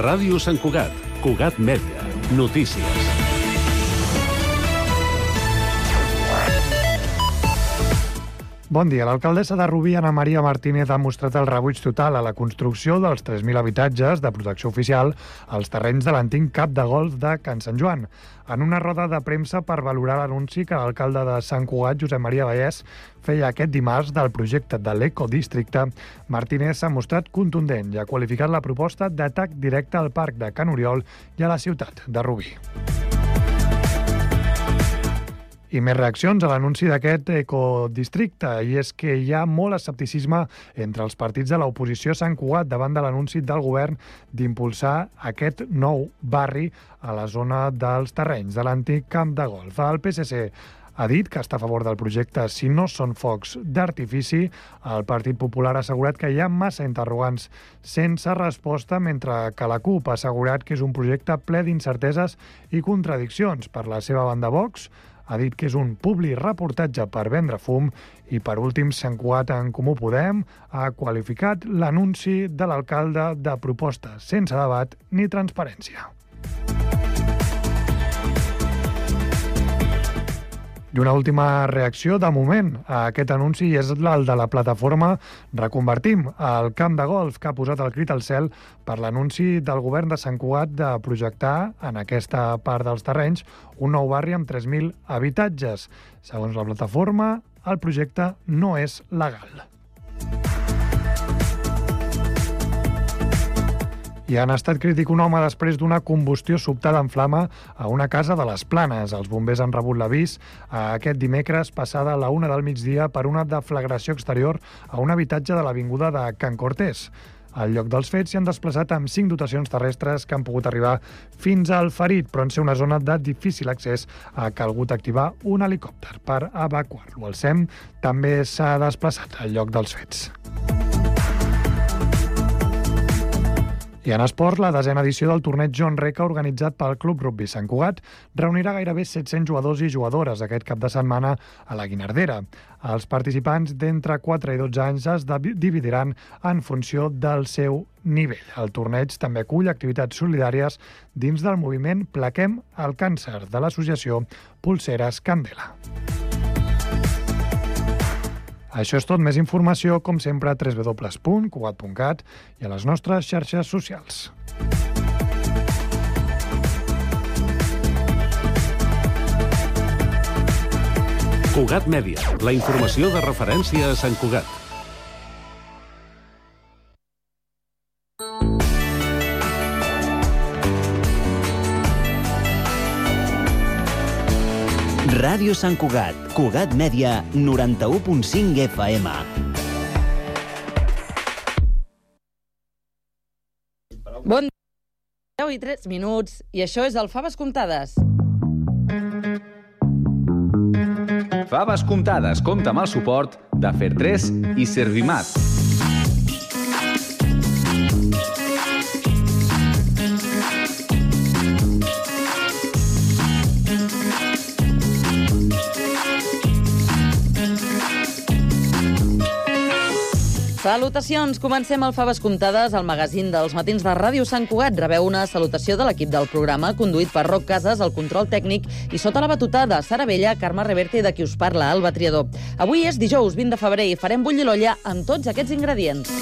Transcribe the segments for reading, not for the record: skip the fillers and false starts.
Ràdio Sant Cugat, Cugat Mèdia, notícies. Bon dia. L'alcaldessa de Rubí, Ana Maria Martínez, ha mostrat el rebuig total a la construcció dels 3.000 habitatges de protecció oficial als terrenys de l'antic camp de golf de Can Sant Joan. En una roda de premsa per valorar l'anunci que l'alcalde de Sant Cugat, Josep Maria Vallès, feia aquest dimarts del projecte de l'Ecodistricte, Martínez s'ha mostrat contundent i ha qualificat la proposta d'atac directe al parc de Can Oriol i a la ciutat de Rubí. I més reaccions a l'anunci d'aquest ecodistricte, i és que hi ha molt escepticisme entre els partits de l'oposició a Sant Cugat davant de l'anunci del govern d'impulsar aquest nou barri a la zona dels terrenys de l'antic camp de golf. El PSC ha dit que està a favor del projecte si no són focs d'artifici. El Partit Popular ha assegurat que hi ha massa interrogants sense resposta, mentre que la CUP ha assegurat que és un projecte ple d'incerteses i contradiccions. Per la seva banda, Vox ha dit que és un publireportatge per vendre fum i, per últim, Sant Cugat en Comú Podem ha qualificat l'anunci de l'alcalde de proposta sense debat ni transparència. I una última reacció, de moment, a aquest anunci és el de la plataforma Reconvertim, el camp de golf que ha posat el crit al cel per l'anunci del govern de Sant Cugat de projectar en aquesta part dels terrenys un nou barri amb 3.000 habitatges. Segons la plataforma, el projecte no és legal. I han estat crític un home després d'una combustió sobtada en flama a una casa de les Planes. Els bombers han rebut l'avís aquest dimecres passada a la 1 del migdia per una deflagració exterior a un habitatge de l'avinguda de Can Cortés. Al lloc dels fets s'hi han desplaçat amb 5 dotacions terrestres que han pogut arribar fins al ferit, però en ser una zona de difícil accés ha calgut activar un helicòpter per evacuar-lo. El SEM també s'ha desplaçat al lloc dels fets. I en esport, la 10a edició del torneig John Reca organitzat pel Club Rugby Sant Cugat reunirà gairebé 700 jugadors i jugadores aquest cap de setmana a la Guinardera. Els participants d'entre 4 i 12 anys es dividiran en funció del seu nivell. El torneig també acull activitats solidàries dins del moviment Plaquem el Càncer de l'associació Pulseres Candela. Això és tot. Més informació, com sempre, a www.cugat.cat i a les nostres xarxes socials. Cugat Mèdia, la informació de referència a Sant Cugat. Ràdio Sant Cugat, Cugat Mèdia, 91.5 FM. Bon dia, 10 i 3 minuts, i això és el Faves Comptades. Faves Comptades compta amb el suport de Fer3 i Servimat. Salutacions! Comencem el Faves Comptades, el magazín dels matins de Ràdio Sant Cugat. Rebeu una salutació de l'equip del programa, conduït per Roc Casas, el control tècnic, i sota la batuta de Sara Vella, Carme Reverte i de qui us parla, Alba Triador. Avui és dijous 20 de febrer i farem bullir l'olla amb tots aquests ingredients.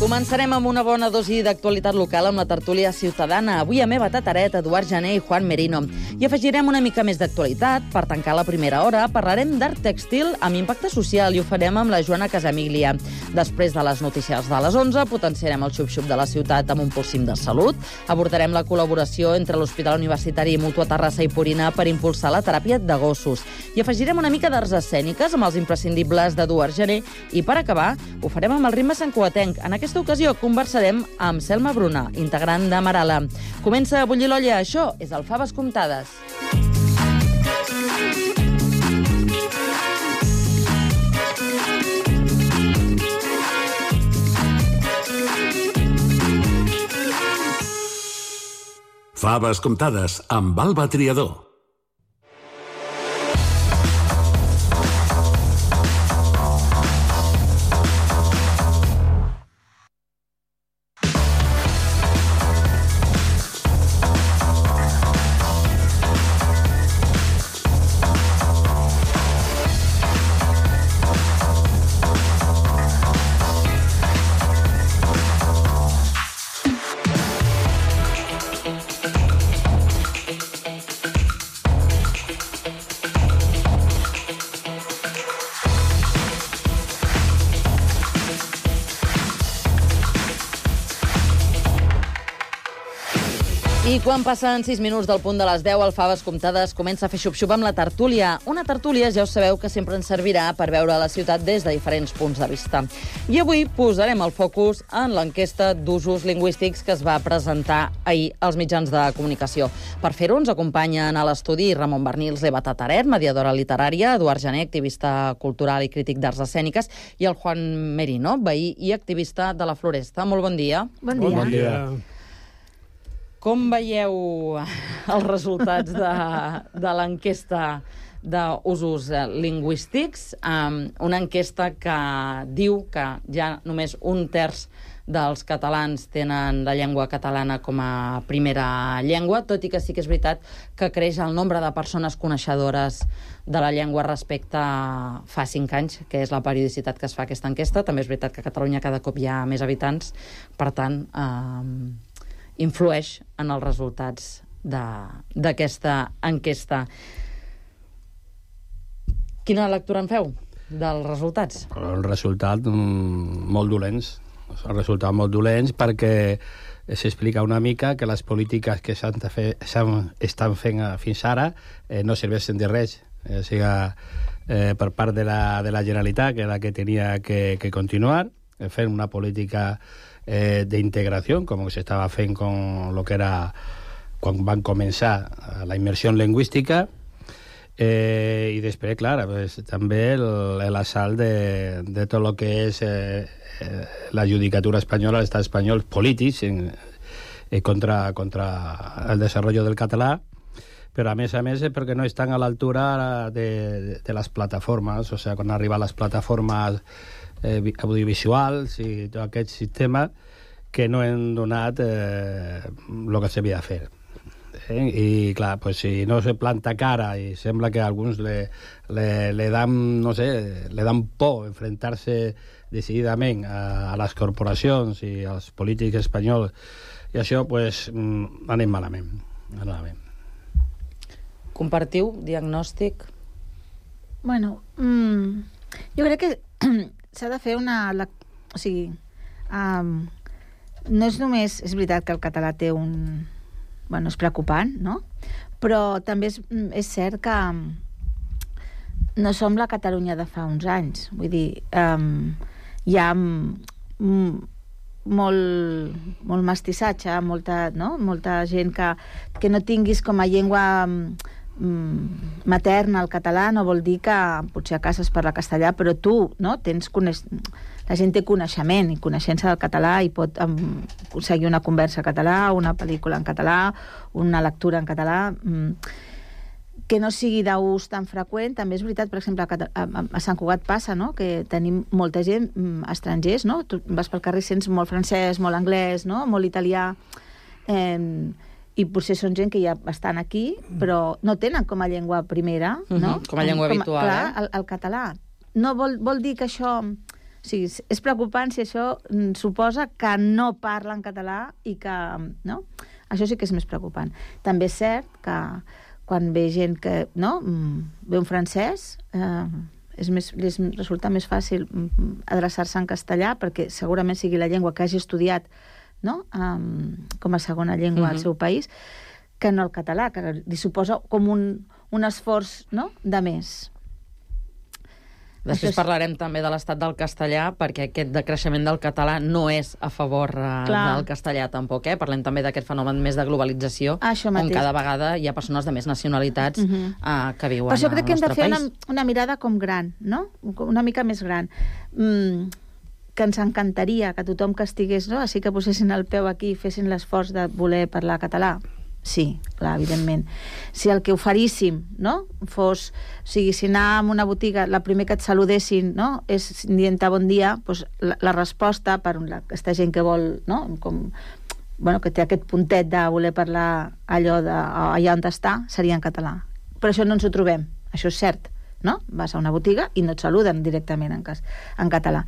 Començarem amb una bona dosi d'actualitat local amb la tertúlia ciutadana. Avui amb Eva Tataret, Eduard Jané i Juan Merino. I afegirem una mica més d'actualitat. Per tancar la primera hora parlarem d'art tèxtil amb impacte social i ho farem amb la Joana Casamiglia. Després de les notícies de les 11 potenciarem el xup-xup de la ciutat amb un pulsim de salut. Abordarem la col·laboració entre l'Hospital Universitari i Mútua Terrassa i Purina per impulsar la teràpia de gossos. I afegirem una mica d'arts escèniques amb els imprescindibles d'Eduard Jané. I per acabar, ho farem amb el ritme santcugatenc. En aquesta ocasió conversarem amb Selma Bruna, integrant de Marala. Comença a bullir l'olla, això és el Faves Comptades. Faves comptades amb Alba Triador. I quan passen 6 minuts del punt de les 10, el Faves Comptades comença a fer xup-xup amb la tertúlia. Una tertúlia, ja us sabeu, que sempre ens servirà per veure la ciutat des de diferents punts de vista. I avui posarem el focus en l'enquesta d'usos lingüístics que es va presentar ahir als mitjans de comunicació. Per fer-ho ens acompanyen a l'estudi Ramon Bernils, Eva Tataret, mediadora literària, Eduard Jané, activista cultural i crític d'arts escèniques, i el Juan Merino, veí i activista de la Floresta. Molt bon dia. Bon dia. Bon dia. Com veieu els resultats de l'enquesta d'usos lingüístics? Una enquesta que diu que ja només 1/3 dels catalans tenen la llengua catalana com a primera llengua, tot i que sí que és veritat que creix el nombre de persones coneixedores de la llengua respecte a fa 5 anys, que és la periodicitat que es fa aquesta enquesta. També és veritat que a Catalunya cada cop hi ha més habitants, per tant, influeix en els resultats d'aquesta enquesta. Quina lectura en feu dels resultats? El resultat molt dolents. El resultat molt dolents perquè s'explica una mica que les polítiques que estan fent fins ara no serveixen de res. O sigui, per part de la Generalitat, que és la que tenia que continuar, fent una política d'integració, com s'estava fent con lo que era quan van començar la immersió lingüística, i després, clar, pues, també l'assalt de tot el que és la judicatura espanyola, l'estat espanyol, polítics, contra el desenvolupament del català, però a més perquè no estan a l'altura de les plataformes, o sigui, quan arriben les plataformes audiovisuals i tot aquest sistema que no hem donat el que s'havia de fer. I clar, pues, si no se planta cara i sembla que a alguns le dan, no sé, le dan por enfrentar-se decididament a les corporacions i als polítics espanyols, i això, pues, anem malament. Compartiu diagnòstic? Bueno, jo crec que s'ha de fer una... O sigui, no és només... És veritat que el català té un... Bueno, és preocupant, no? Però també és cert que no som la Catalunya de fa uns anys. Vull dir, hi ha molt mestissatge, molta gent que no tinguis com a llengua materna el català, no vol dir que potser a casa es parla castellà, però tu, no, la gent té coneixement i coneixença del català i pot seguir una conversa en català, una pel·lícula en català, una lectura en català, que no sigui d'ús tan freqüent. També és veritat, per exemple, a Sant Cugat passa, no?, que tenim molta gent estrangers, no? Tu vas pel carrer i sents molt francès, molt anglès, no?, molt italià, i potser són gent que ja estan aquí, però no tenen com a llengua primera, no? Com a llengua habitual. Clar, el català. No vol dir que això... O sigui, és preocupant si això suposa que no parlen català i que... No? Això sí que és més preocupant. També és cert que quan ve gent que... No? Ve un francès, li resulta més fàcil adreçar-se en castellà perquè segurament sigui la llengua que hagi estudiat, no? Com a segona llengua al seu país, que no el català, que li suposa com un esforç, no?, de més. Després parlarem també de l'estat del castellà, perquè aquest decreixement del català no és a favor del castellà tampoc. Parlem també d'aquest fenomen més de globalització, on cada vegada hi ha persones de més nacionalitats que viuen al nostre país. Per això crec que hem de fer una mirada com gran, no? Una mica més gran. Que ens encantaria que tothom que estigués, no?, així que posessin el peu aquí i fessin l'esforç de voler parlar català. Sí, clar, evidentment. Si el que oferíssim, no?, fos... O sigui, si anar a una botiga, la primer que et saludessin, no?, és dient-te bon dia, doncs la resposta per aquesta gent que vol, no?, com... Bueno, que té aquest puntet de voler parlar allò allà on està, seria en català. Però això no ens ho trobem, això és cert, no? Vas a una botiga i no et saluden directament en català.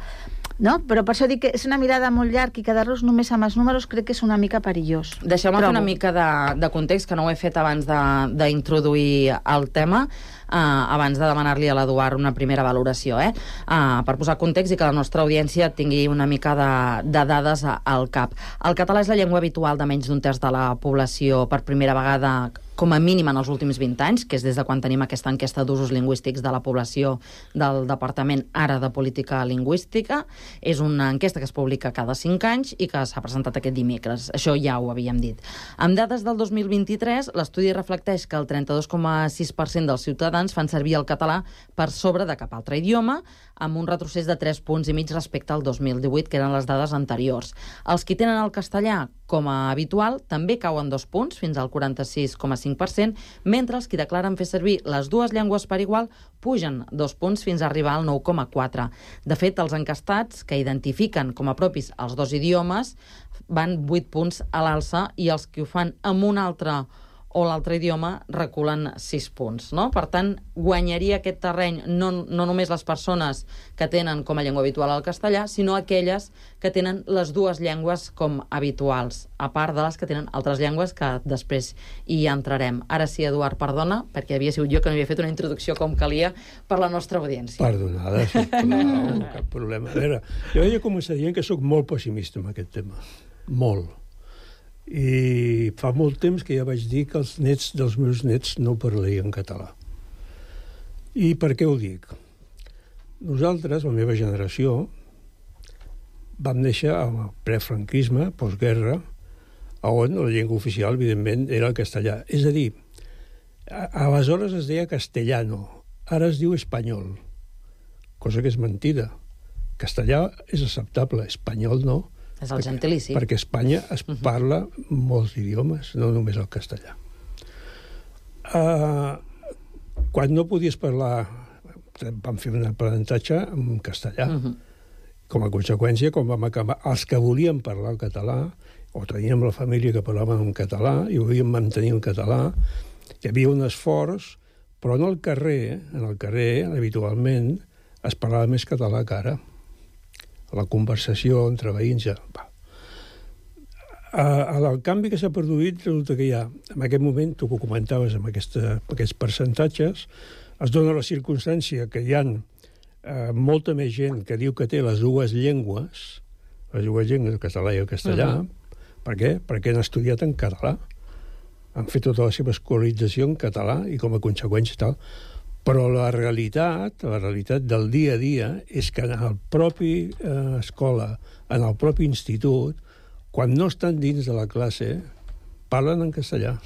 No? Però per això dic que és una mirada molt llarg i quedar-nos només amb els números crec que és una mica perillós. Deixeu-me fer una mica de context, que no ho he fet abans d'introduir el tema, abans de demanar-li a l'Eduard una primera valoració, per posar context i que la nostra audiència tingui una mica de dades al cap. El català és la llengua habitual de menys d'un terç de la població per primera vegada, com a mínim en els últims 20 anys, que és des de quan tenim aquesta enquesta d'usos lingüístics de la població del Departament ara de Política Lingüística. És una enquesta que es publica cada 5 anys i que s'ha presentat aquest dimecres. Això ja ho havíem dit. Amb dades del 2023, l'estudi reflecteix que el 32,6% dels ciutadans fan servir el català per sobre de cap altre idioma, amb un retrocés de 3,5 punts respecte al 2018, que eren les dades anteriors. Els que tenen el castellà com a habitual també cauen 2 punts, fins al 46,5%, mentre els que declaren fer servir les dues llengües per igual pugen 2 punts fins a arribar al 9,4%. De fet, els encastats que identifiquen com a propis els dos idiomes van 8 punts a l'alça i els que ho fan amb un altre o l'altre idioma reculen 6 punts, no? Per tant, guanyaria aquest terreny no només les persones que tenen com a llengua habitual el castellà, sinó aquelles que tenen les dues llengües com habituals, a part de les que tenen altres llengües que després hi entrarem. Ara sí, Eduard, perdona, perquè havia sigut jo que no havia fet una introducció com calia per la nostra audiència. Perdonada, sisplau, cap problema. A veure, jo he de començar dient que sóc molt pessimista amb aquest tema. Molt. I fa molt temps que ja vaig dir que els nets dels meus nets no parlarien català. I per què ho dic? Nosaltres, la meva generació, vam néixer al prefranquisme, postguerra, on la llengua oficial, evidentment, era el castellà. És a dir, aleshores es deia castellano, ara es diu espanyol, cosa que és mentida. Castellà és acceptable, espanyol no. És el gentilici. Perquè a Espanya es parla molts idiomes, no només el castellà. Quan no podies parlar, vam fer un aprenentatge en castellà. Com a conseqüència, quan vam acabar, els que volien parlar el català, o teníem la família que parlaven en català, i volíem mantenir el català, hi havia un esforç, però en el carrer, habitualment, es parlava més català que ara. La conversació entre veïns ja... El canvi que s'ha produït resulta que ja, en aquest moment, tu que ho comentaves amb aquests percentatges, es dona la circumstància que hi ha molta més gent que diu que té les dues llengües, el català i el castellà. Per què? Perquè han estudiat en català. Han fet tota la seva escolarització en català i com a conseqüència tal. Però la realitat del dia a dia és que en el propi escola, en el propi institut, quan no estan dins de la classe, parlen en castellà.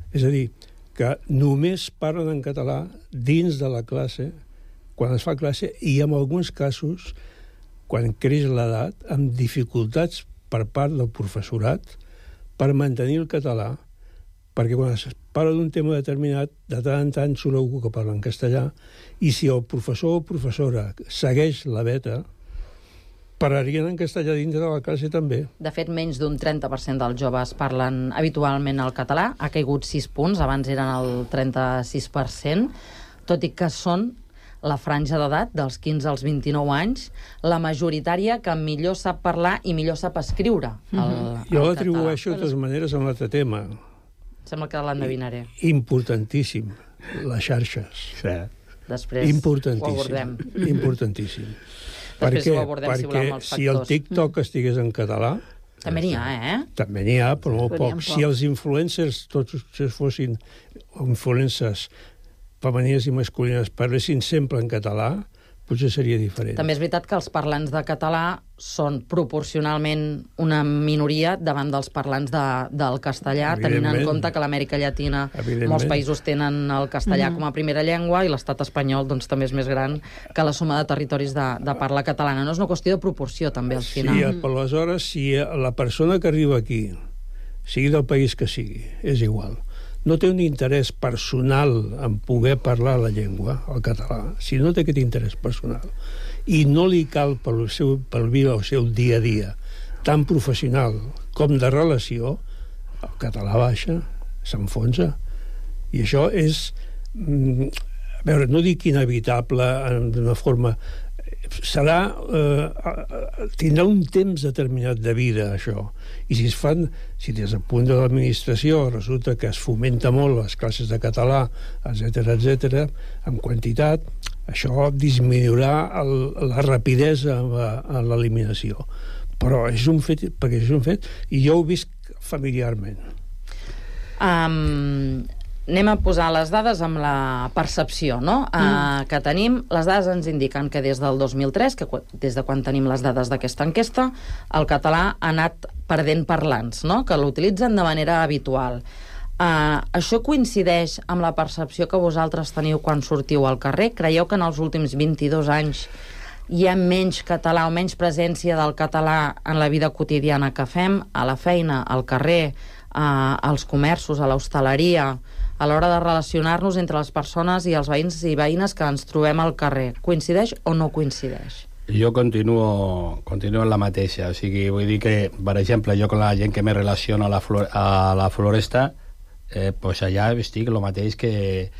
És a dir, que només parlen en català dins de la classe, quan es fa classe, i en alguns casos, quan creix l'edat, amb dificultats per part del professorat per mantenir el català, perquè quan es parla d'un tema determinat, de tant en tant surt algú que parla en castellà, i si el professor o professora segueix la veta, parlarien en castellà dintre de la classe també. De fet, menys d'un 30% dels joves parlen habitualment el català, ha caigut 6 punts, abans eren el 36%, tot i que són la franja d'edat dels 15 als 29 anys, la majoritària que millor sap parlar i millor sap escriure el català. Jo l'atribueixo de totes maneres a un altre tema. Sembla que l'endevinaré. Importantíssim, les xarxes. Sí. Després ho abordem. Importantíssim. Després ho abordem, si volem, els factors. Si el TikTok estigués en català... També n'hi ha, També n'hi ha, però molt poc. Si els influencers, tots fossin influencers femenines i masculines, parlessin sempre en català, potser seria diferent. També és veritat que els parlants de català són proporcionalment una minoria davant dels parlants del castellà, tenint en compte que a l'Amèrica Llatina molts països tenen el castellà com a primera llengua i l'estat espanyol doncs, també és més gran que la suma de territoris de parla catalana. No és una qüestió de proporció, també, al final. Sí, però aleshores, si la persona que arriba aquí sigui del país que sigui, és igual, no té un interès personal en poder parlar la llengua, el català, si no té aquest interès personal, i no li cal per viure el seu dia a dia, tan professional com de relació, el català baixa, s'enfonsa. I això és, a veure, no dic inevitable d'una forma... tindrà un temps determinat de vida, això. I si des del punt de l'administració resulta que es fomenta molt les classes de català, etc., en quantitat, això disminuirà la rapidesa en l'eliminació. Però és un fet, perquè és un fet, i jo ho visc familiarment. Anem a posar les dades amb la percepció, no? Que tenim. Les dades ens indiquen que des del 2003, que des de quan tenim les dades d'aquesta enquesta, el català ha anat perdent parlants, no? Que l'utilitzen de manera habitual. Això coincideix amb la percepció que vosaltres teniu quan sortiu al carrer? Creieu que en els últims 22 anys hi ha menys català o menys presència del català en la vida quotidiana que fem, a la feina, al carrer, als comerços, a l'hostaleria, a l'hora de relacionar-nos entre les persones i els veïns i veïnes que ens trobem al carrer? Coincideix o no coincideix? Jo continuo en la mateixa. O sigui, vull dir que, per exemple, jo con la gent que me relaciono a la Floresta, pues allà estic el mateix que...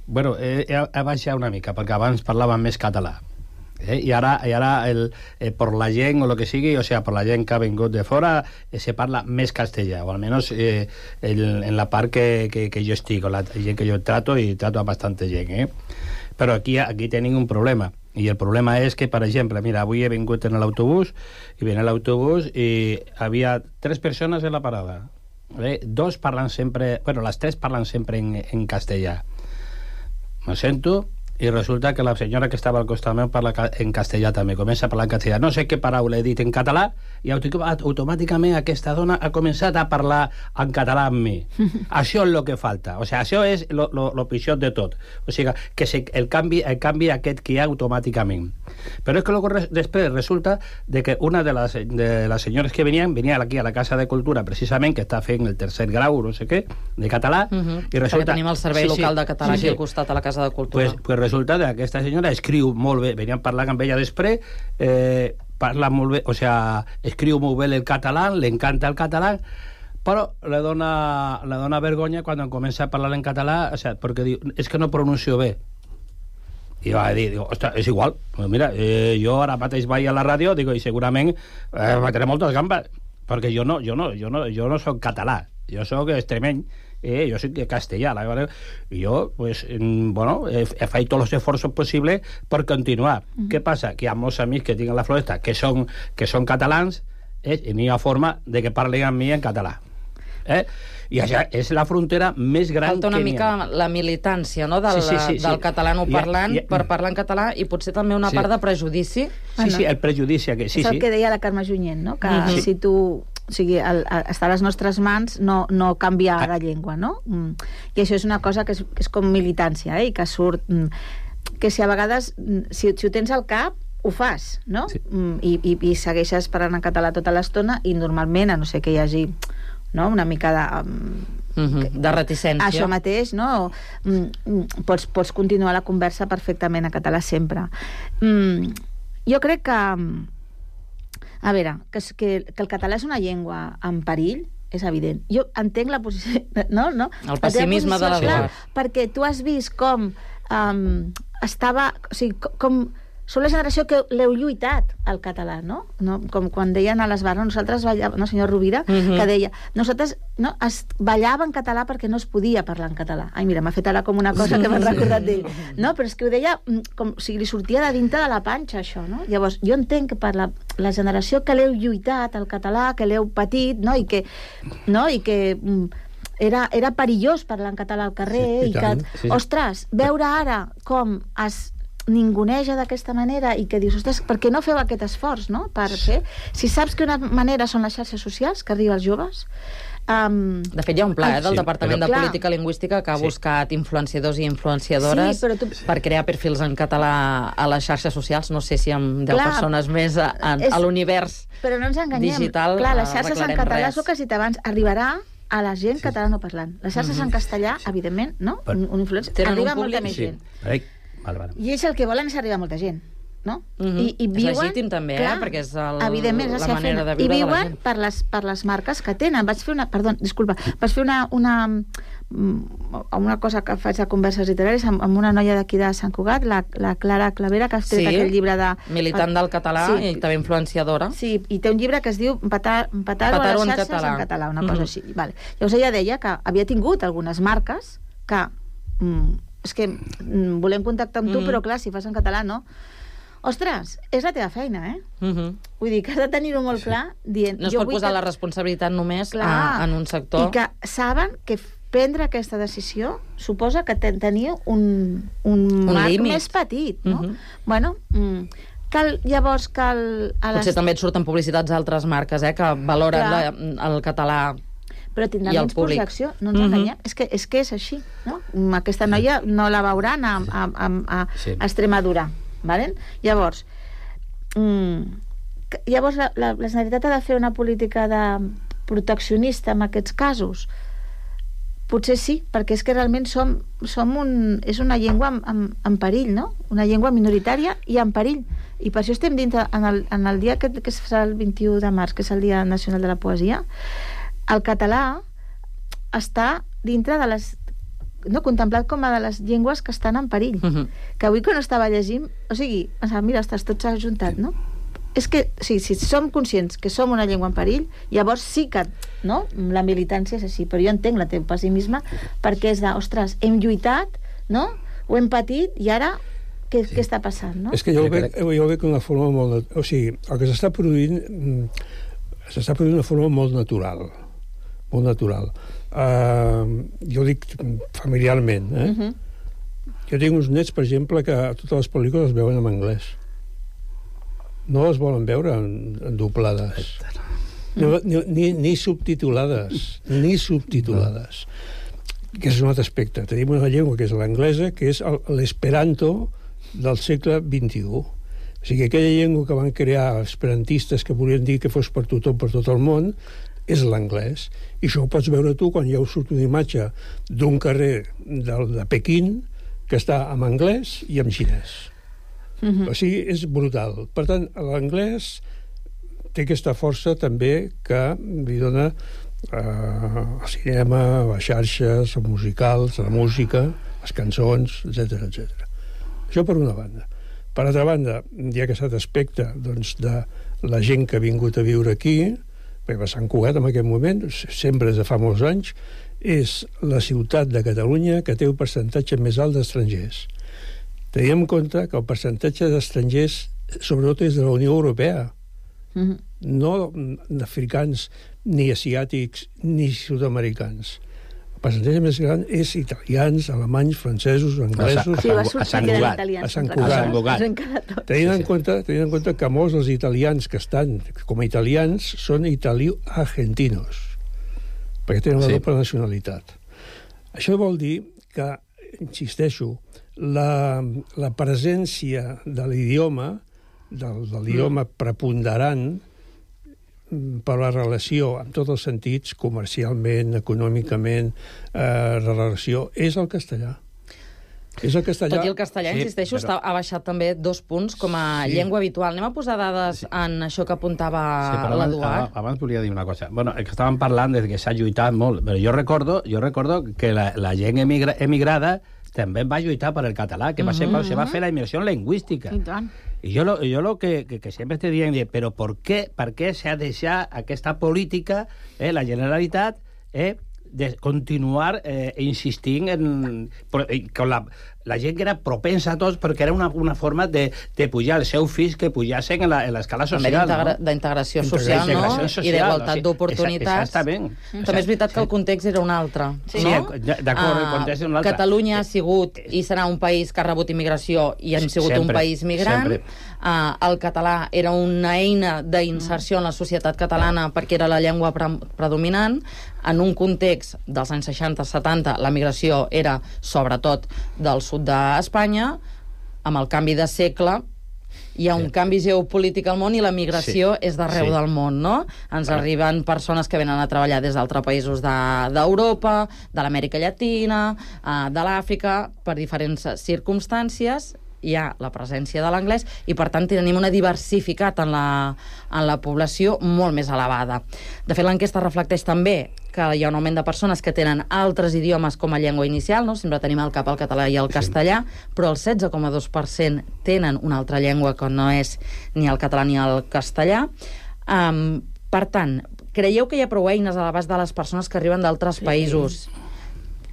Bueno, he baixat una mica, perquè abans parlàvem més català. I ara per la gent o el que sigui, o sea, per la gent que ha vingut de fora, se parla més castellà, o almenys en la part que jo estic, o la gent que jo trato, i trato a bastante gent, Però aquí tenim un problema, i el problema és que, per exemple, mira, avui he vingut en l'autobús, i ven l'autobús i havia 3 persones en la parada. Dos parlen sempre, bueno, les 3 parlen sempre en castellà. Me sento, i resulta que la senyora que estava al costat meu parla en castellà també, comença a parlar en castellà. No sé què paraula he dit en català, i automàticament aquesta dona ha començat a parlar en català amb mi. Això és el que falta. O sigui, això és el pitjor de tot. O sigui, que el canvi aquest que hi ha automàticament. Però és que després resulta de que una de les senyores que venia aquí a la Casa de Cultura, precisament, que està fent el 3er grau, no sé què, de català, i resulta... Perquè tenim el servei local de català aquí al costat a la Casa de Cultura. Pues resulta que aquesta senyora escriu molt bé, veníem parlant amb ella després, parla molt bé, o sea, escriu molt bé el català, li encanta el català, però le dona vergonya quan comença a parlar en català, o sea, perquè diu, és que no pronuncio bé. I va dir, ostres, és igual, mira, jo ara mateix vaig a la ràdio, digo, i segurament mataré moltes gambes, perquè jo no soc català, jo soc extremeny, jo soc castellà. Jo, pues, bueno, he fet tots els esforços possibles per continuar. Què passa? Que hi ha molts amics que tinc a la Floresta que són catalans, i n'hi ha forma de que parlen amb mi en català. I això és la frontera més gran que n'hi ha. Falta una mica la militància, no?, del catalanoparlant per parlar en català, i potser també una part de prejudici. Sí, el prejudici. És el que deia la Carme Junyent, no?, que si tu... O sigui, està a les nostres mans no canviar la llengua, no? I això és una cosa que és com militància, i que surt... Que si a vegades, si ho tens al cap, ho fas, no? Sí. I segueixes parlant en català tota l'estona, i normalment, a no ser que hi hagi, no?, una mica de reticència. Això mateix, no? Pots continuar la conversa perfectament en català sempre. Jo crec que... A veure, que el català és una llengua en perill, és evident. Jo entenc la posició... No? El pessimisme de l'Eduard. Perquè tu has vist com estava... O sigui, com... Som la generació que l'heu lluitat al català, no? Com quan deien a les bars, nosaltres ballàvem, no, senyor Rovira, que deia, nosaltres es ballava en català perquè no es podia parlar en català. Ai, mira, m'ha fet ara com una cosa que m'ha recordat d'ell. No, però és que ho deia com si li sortia de dintre de la panxa, això, no? Llavors, jo entenc que per la generació que l'heu lluitat al català, que l'heu patit, no? I que era perillós parlar en català al carrer, i que, ostres, veure ara com ninguneja d'aquesta manera i que dius, ostres, per què no feu aquest esforç, no? Per fer... Si saps que una manera són les xarxes socials, que arriba als joves... De fet, hi ha un pla del Departament de Política Lingüística que ha buscat influenciadors i influenciadores per crear perfils en català a les xarxes socials. No sé si amb 10 persones més a l'univers digital. Però no ens enganyem. Clar, les xarxes en català, és el que has dit abans, arribarà a la gent catalanoparlant. Les xarxes en castellà, evidentment, no? Un influencer arriba a molta més gent. I ells el que volen és arribar a molta gent, no? I viuen... És legítim també, perquè és la manera de viure de la gent. I viuen per les marques que tenen. Vaig fer una cosa que faig de converses literaris amb una noia d'aquí de Sant Cugat, la Clara Clavera, que ha tret aquell llibre de... Militant del català i també influenciadora. Sí, i té un llibre que es diu Petar-ho a les xarxes en català, una cosa així. Llavors ella deia que havia tingut algunes marques que... És que volem contactar amb tu, però clar, si fas en català, no? Ostres, és la teva feina, Vull dir que has de tenir-ho molt clar dient... No es pot posar la responsabilitat només en un sector. I que saben que prendre aquesta decisió suposa que teniu un marc més petit, no? Bueno, llavors cal... Potser també et surten publicitats d'altres marques, que valoren el català. Però tindrà menys projecció, no ens enganyem. És que és així, no? Aquesta noia no la veuran a Extremadura. Llavors, la Generalitat ha de fer una política de proteccionista en aquests casos? Potser sí, perquè és que realment és una llengua en perill, no? Una llengua minoritària i en perill. I per això estem dintre, en el dia que serà el 21 de març, que és el Dia Nacional de la Poesia, el català està dintre de les... contemplat com a de les llengües que estan en perill. Que avui quan estava llegint... O sigui, mira, tot s'ha ajuntat, no? És que, si som conscients que som una llengua en perill, llavors sí que, no? La militància és així, però jo entenc el teu pessimisme perquè és de, ostres, hem lluitat, no? Ho hem patit i ara què està passant, no? És que jo ho veig d'una forma molt... O sigui, el que s'està produint d'una forma molt natural. Molt natural. Jo dic familiarment, Jo tinc uns nets, per exemple, que totes les pel·lícules veuen en anglès. No les volen veure en doblades. Ni subtitulades. Ni subtitulades. Que és un altre aspecte. Tenim una llengua que és l'anglesa, que és l'esperanto del segle XXI. O sigui, aquella llengua que van crear esperantistes que volien dir que fos per tothom, per tot el món, és l'anglès. I això ho pots veure tu quan ja us surt una imatge d'un carrer de Pequín que està en anglès i en xinès. O sigui, és brutal. Per tant, l'anglès té aquesta força també que li dona al cinema, a les xarxes, als musicals, a la música, les cançons, etc etc. Això per una banda. Per altra banda, hi ha aquest aspecte de la gent que ha vingut a viure aquí, perquè Sant Cugat en aquest moment, sempre des de fa molts anys, és la ciutat de Catalunya que té el percentatge més alt d'estrangers. Tenim en compte que el percentatge d'estrangers sobretot és de la Unió Europea, no d'africans, ni asiàtics, ni sud-americans. El percentatge més gran és italians, alemanys, francesos, anglesos... A Sant Cugat. Tenint en compte que molts dels italians que estan com a italians són italo-argentinos, perquè tenen la doble nacionalitat. Això vol dir que, insisteixo, la presència de l'idioma, de l'idioma preponderant per la relació en tots els sentits, comercialment, econòmicament, la relació, és el castellà. És el castellà. Tot i el castellà, insisteixo, ha baixat també 2 punts com a llengua habitual. Anem a posar dades en això que apuntava l'Eduard. Abans volia dir una cosa. Bueno, que estàvem parlant de que s'ha lluitat molt, però jo recordo que la gent emigrada també va lluitar per el català, que va ser quan se va fer la immersió lingüística. I tant. Y yo lo que siempre te digo, pero ¿por qué se ha deixat aquesta política, la Generalitat, de continuar insistint con la gent que era propensa a tots, perquè era una forma de pujar els seus fills que pujassin en l'escala social. D'integració social, no? I d'igualtat d'oportunitats. Exactament. També és veritat que el context era un altre. Sí, d'acord, el context era un altre. Catalunya ha sigut i serà un país que ha rebut immigració i hem sigut un país migrant. El català era una eina d'inserció en la societat catalana perquè era la llengua predominant. En un context dels anys 60-70, la migració era sobretot del sud d'Espanya. Amb el canvi de segle hi ha un canvi geopolític al món i la migració és d'arreu del món, no? Ens arriben persones que venen a treballar des d'altres països d'Europa, de l'Amèrica Llatina, de l'Àfrica, per diferents circumstàncies. Hi ha la presència de l'anglès i, per tant, tenim una diversificat en la població molt més elevada. De fet, l'enquesta reflecteix també que hi ha un augment de persones que tenen altres idiomes com a llengua inicial, no? Sempre tenim al cap el català i el castellà, però el 16,2% tenen una altra llengua que no és ni el català ni el castellà. Per tant, creieu que hi ha prou eines a l'abast de les persones que arriben d'altres països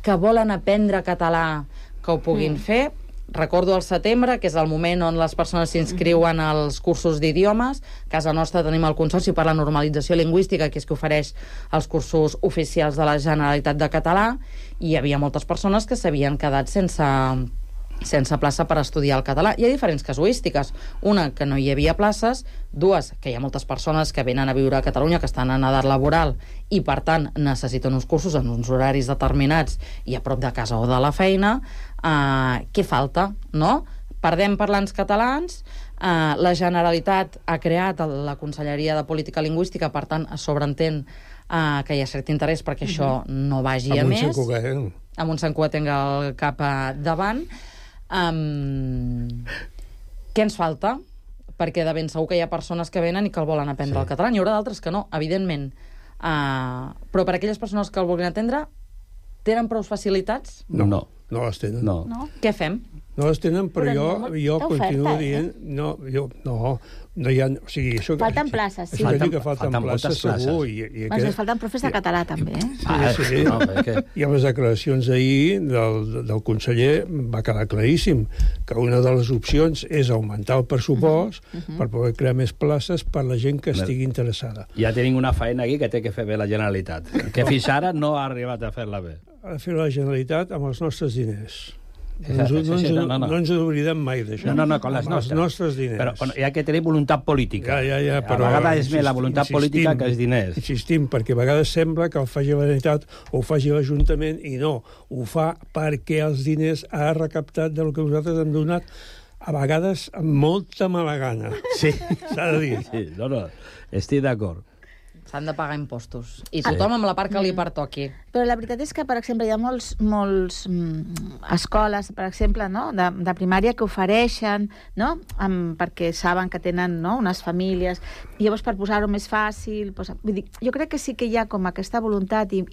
que volen aprendre català que ho puguin fer? Recordo el setembre, que és el moment on les persones s'inscriuen als cursos d'idiomes. A casa nostra tenim el Consorci per la Normalització Lingüística, que és que ofereix els cursos oficials de la Generalitat de Català, i hi havia moltes persones que s'havien quedat sense plaça per estudiar el català. Hi ha diferents casuístiques. Una, que no hi havia places. Dues, que hi ha moltes persones que venen a viure a Catalunya, que estan en edat laboral i, per tant, necessiten uns cursos en uns horaris determinats i a prop de casa o de la feina. Què falta, no? Perdem parlants catalans. La Generalitat ha creat la Conselleria de Política Lingüística, per tant, es sobreentén que hi ha cert interès perquè això no vagi a més. Amb un Sant Cugatenc al cap davant. Què ens falta? Perquè de ben segur que hi ha persones que venen i que el volen aprendre el català. N'hi haurà d'altres que no, evidentment. Però per aquelles persones que el vulguin aprendre, tenen prou facilitats? No les tenen. No? Què fem? No les tenen, però jo continuo dient... No hi ha... O sigui, falten places, sí. Això que falten places, segur. Ens falten profes de català, també. Sí. I amb les declaracions d'ahir del conseller va quedar claríssim que una de les opcions és augmentar el pressupost per poder crear més places per la gent que estigui interessada. Ja tenim una feina aquí que té que fer bé la Generalitat, que fins ara no ha arribat a fer-la bé. Ha de fer la Generalitat amb els nostres diners. No ens oblidem mai d'això. No, con les nostres. Els nostres diners. Però hi ha que tenir voluntat política. Però a vegades és més la voluntat política que els diners. Insistim, perquè a vegades sembla que ho faci la Generalitat o ho faci l'Ajuntament, i no. Ho fa perquè els diners ha recaptat del que nosaltres hem donat, a vegades amb molta mala gana. Sí. S'ha de dir. Sí, estic d'acord. S'han de pagar impostos. I tothom amb la part que li pertoqui. Però la veritat és que, per exemple, hi ha molts escoles, per exemple, no? de primària que ofereixen, no? Perquè saben que tenen, no? unes famílies, i llavors per posar-ho més fàcil... Vull dir, jo crec que sí que hi ha com aquesta voluntat i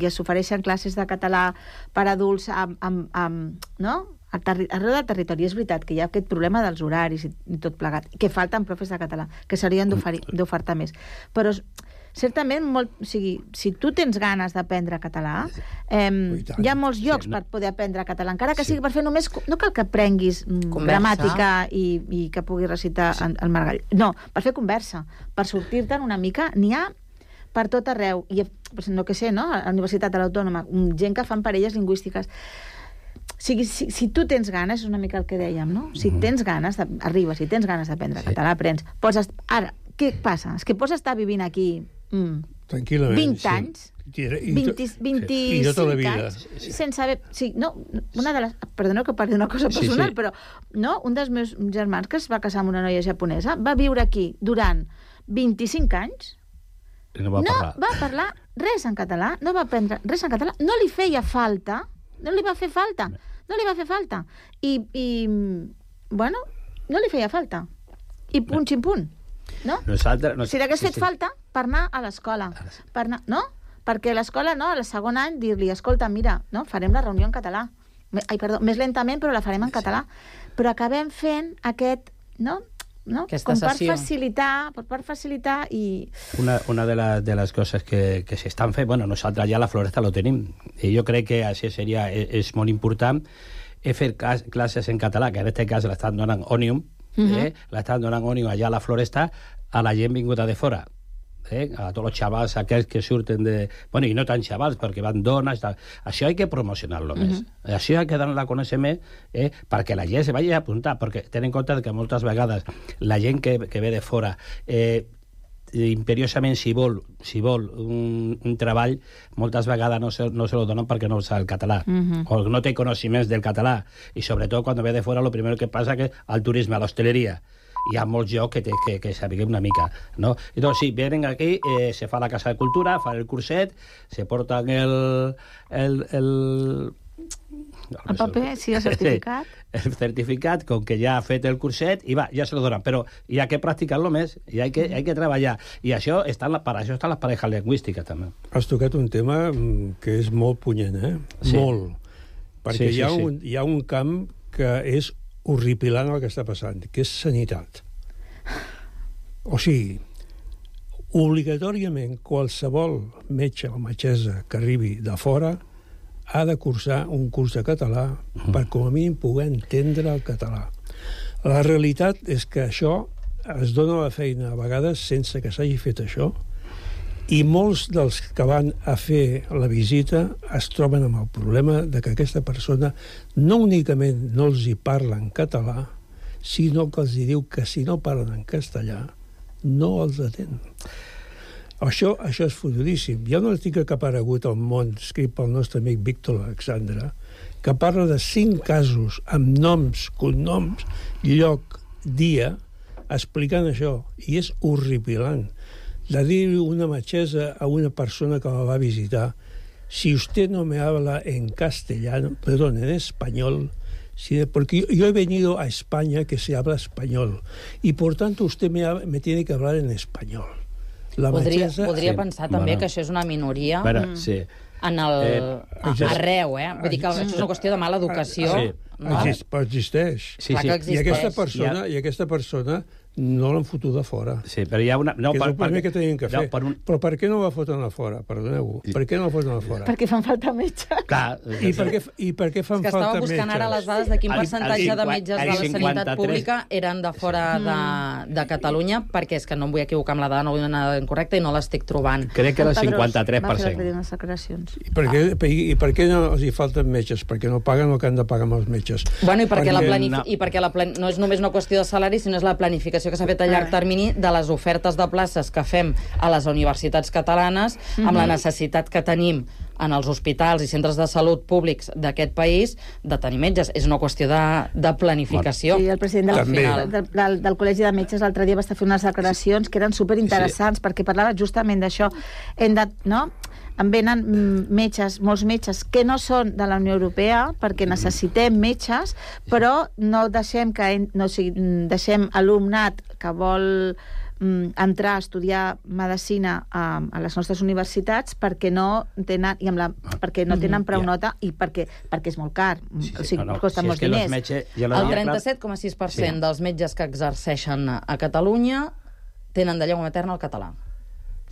s'ofereixen classes de català per adults no? Arreu del territori. És veritat que hi ha aquest problema dels horaris i tot plegat, que falten profes de català, que s'haurien d'ofertar més. Però certament, si tu tens ganes d'aprendre català, hi ha molts llocs per poder aprendre català, encara que sigui per fer només... No cal que aprenguis gramàtica i que puguis recitar el Margall. No, per fer conversa, per sortir-te'n una mica, n'hi ha per tot arreu. I, no que sé, no? A la Universitat de l'Autònoma, gent que fan parelles lingüístiques. Si tu tens ganes, és una mica el que dèiem, no? Si tens ganes, arribes, si tens ganes d'aprendre català, aprens. Ara, què passa? És que pots estar vivint aquí tranquil·lament, 20 anys, 25 anys, sense saber... Perdoneu que parli d'una cosa personal, però un dels meus germans, que es va casar amb una noia japonesa, va viure aquí durant 25 anys, no va parlar res en català, no va aprendre res en català, no li feia falta, no li va fer falta. I bueno, no li feia falta. I punt, ximpunt. No? Si l'hagués fet falta per anar a l'escola. No? Perquè a l'escola, no, al segon any, dir-li, escolta, mira, no, farem la reunió en català. Més lentament, però la farem en català. Però acabem fent aquest, no? Com per facilitar i... Una de les coses que s'estan fent, bueno, nosaltres ja la Floresta lo tenim, i jo crec que això és molt important, fer classes en català, que en aquest cas l'estan donant Òmnium, l'estan donant Òmnium allà a la Floresta, a la gent vinguda de fora. A tots els xavals aquells que surten de... Bueno, i no tan xavals, perquè van dones... Això hay que promocionar-lo més. Això hay que donar a conèixer més perquè la gent se vagi a apuntar, perquè ten en compte que moltes vegades la gent que ve de fora imperiosament, si vol un treball, moltes vegades no se lo donen perquè no sap el català o no té coneixements del català, i sobretot quan ve de fora lo primero que passa que al turisme, a l'hostaleria hi ha molts llocs que sapiguem una mica, no? Entonces, sí, venen aquí, se fa la Casa de Cultura, fan el curset, se porten el paper, sí, el certificat. El certificat, com que ja ha fet el curset, i va, ja se lo donen. Però hi ha que practicar-lo més, i hi ha que treballar. I això per això estan les parejas lingüístiques, també. Has tocat un tema que és molt punyent, Sí. Molt. Perquè hi ha un camp que és horripilant el que està passant, que és sanitat. O sigui, obligatòriament qualsevol metge o metgessa que arribi de fora ha de cursar un curs de català per com a mínim poder entendre el català. La realitat és que això es dona la feina a vegades sense que s'hagi fet això, i molts dels que van a fer la visita es troben amb el problema de que aquesta persona no únicament no els hi parla en català, sinó que els hi diu que si no parlen en castellà no els atén. Això és fotudíssim. Hi ha un article que ha aparegut al Món, escrit pel nostre amic Víctor Alexandre, que parla de 5 casos amb noms, cognoms, lloc, dia, explicant això, i és horripilant. De dir una metgessa a una persona que la va visitar, si usted no me habla en castellano, perdón, en español, porque yo he venido a España que se habla español, y por tanto usted me tiene que hablar en español. Podria pensar també que això és una minoria arreu, Vull dir que això és una qüestió de mala educació. Però existeix. I aquesta persona no l'han fotut a fora. Sí, però hi ha una... Que és el primer que tenien que fer. Però per què no la foten a fora? Perdoneu. Per què no la foten a fora? Perquè fan falta metges. I per què fan falta metges? Estava buscant ara les dades de quin percentatge de metges de la sanitat pública eren de fora de Catalunya, perquè és que no em vull equivocar amb la dada, no vull anar incorrecta i no l'estic trobant. Crec que era el 53%. I per què no els hi falten metges? Perquè no paguen el que han de pagar amb els metges. Bueno, i perquè no és només una qüestió de salari, sinó és la planificació que s'ha fet a llarg termini de les ofertes de places que fem a les universitats catalanes, amb la necessitat que tenim en els hospitals i centres de salut públics d'aquest país de tenir metges. És una qüestió de planificació. Sí, el president del Col·legi de Metges l'altre dia va estar fent unes declaracions que eren superinteressants, perquè parlava justament d'això. En venen metges, molts metges que no són de la Unió Europea, perquè necessitem metges, però no deixem deixem alumnat que vol entrar a estudiar medicina a les nostres universitats perquè no tenen prou nota i perquè és molt car. O sigui, costa molts diners. El 37,6% dels metges que exerceixen a Catalunya tenen de llengua materna el català.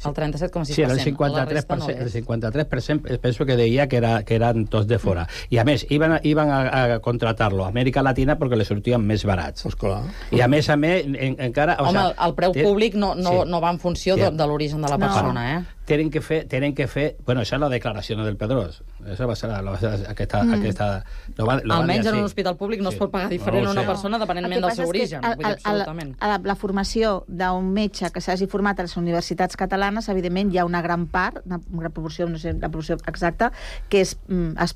El 37,6%. Sí, el 53% penso que deia que eren tots de fora. I a més, iban a contratar-lo a Amèrica Latina perquè li sortien més barats. I a més, encara... Home, el preu públic no va en funció de l'origen de la persona, Tienen que fer... Bueno, esa es la declaración del Pedrós. Esa va ser aquesta... Almenys en un hospital públic no es pot pagar diferent a una persona depenentment del seu origen. La formació d'un metge que s'hagi format a les universitats catalanes, evidentment hi ha una gran part, una proporció, no sé la proporció exacta, que es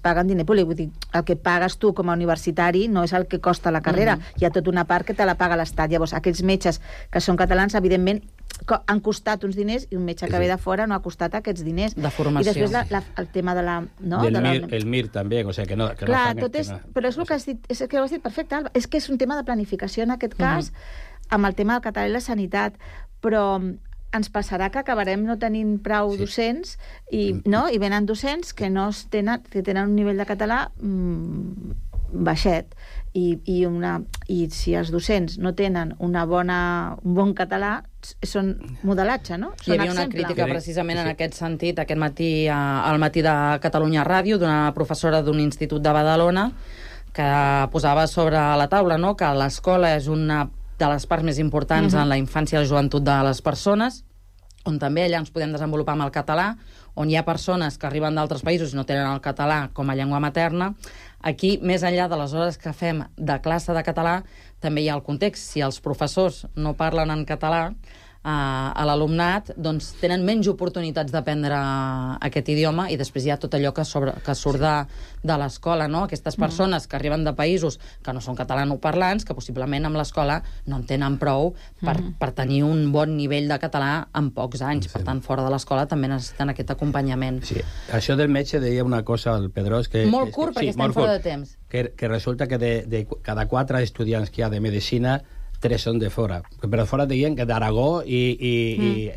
paga en diner públic. Vull dir, el que pagues tu com a universitari no és el que costa la carrera. Hi ha tota una part que te la paga l'Estat. Llavors, aquells metges que són catalans, evidentment, han costat uns diners i un metge que ve de fora no ha costat aquests diners. De formació. I després el tema de la... El MIR també, o sigui que no... Clar, però és el que has dit, és que ho has dit perfecte, Alba, és que és un tema de planificació en aquest cas, amb el tema del català i la sanitat, però ens passarà que acabarem no tenint prou docents i venen docents que tenen un nivell de català baixet i si els docents no tenen un bon català són modelatge, no? Hi havia una crítica precisament en aquest sentit aquest matí al Matí de Catalunya Ràdio d'una professora d'un institut de Badalona que posava sobre la taula, no?, que l'escola és una de les parts més importants en la infància i la joventut de les persones, on també allà ens podem desenvolupar amb el català, on hi ha persones que arriben d'altres països i no tenen el català com a llengua materna. Aquí, més enllà de les hores que fem de classe de català, també hi ha el context. Si els professors no parlen en català a l'alumnat, doncs tenen menys oportunitats d'aprendre aquest idioma, i després hi ha tot allò que surt de l'escola, no? Aquestes persones que arriben de països que no són catalanoparlants, que possiblement amb l'escola no en tenen prou per tenir un bon nivell de català en pocs anys. Per tant, fora de l'escola també necessiten aquest acompanyament. Sí. Això del metge deia una cosa al Pedrós... Molt curt, perquè estem fora de temps. Que resulta que de cada 4 estudiants que hi ha de medicina, 3 són de fora. Però fora deien que d'Aragó i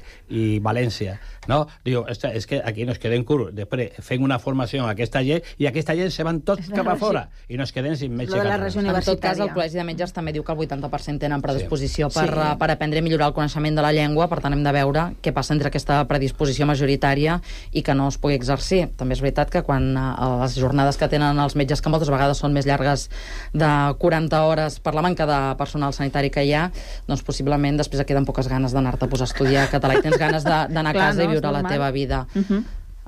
València. No? Diu, és que aquí nos quedem curts. Després fem una formació a aquesta gent i aquesta gent se van tots cap a fora i nos quedem sin metge català. En tot cas, el Col·legi de Metges també diu que el 80% tenen predisposició per aprendre i millorar el coneixement de la llengua. Per tant, hem de veure què passa entre aquesta predisposició majoritària i que no es pugui exercir. També és veritat que quan les jornades que tenen els metges, que moltes vegades són més llargues de 40 hores per la manca de personal sanitari que hi ha, doncs possiblement després et queden poques ganes d'anar-te a posar a estudiar català i tens ganes d'anar a casa i viure la teva vida.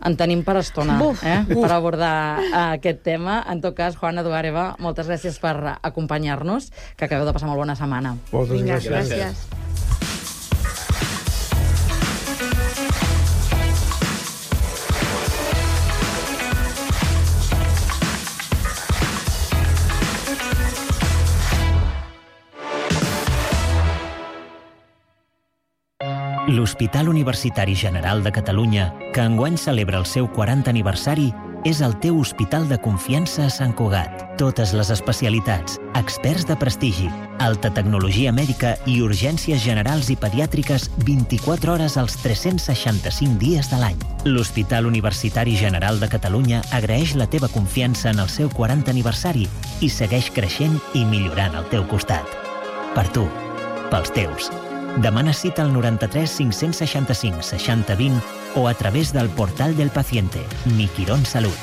En tenim per estona, per abordar aquest tema. En tot cas, Juana Duáreva, moltes gràcies per acompanyar-nos, que acabeu de passar molt bona setmana. Moltes gràcies. Gràcies. L'Hospital Universitari General de Catalunya, que enguany celebra el seu 40 aniversari, és el teu hospital de confiança a Sant Cugat. Totes les especialitats, experts de prestigi, alta tecnologia mèdica i urgències generals i pediàtriques 24 hores als 365 dies de l'any. L'Hospital Universitari General de Catalunya agraeix la teva confiança en el seu 40 aniversari i segueix creixent i millorant al teu costat. Per tu, pels teus. Demana cita al 93 565 60 20 o a través del portal del paciente, Mi Quirón Salud.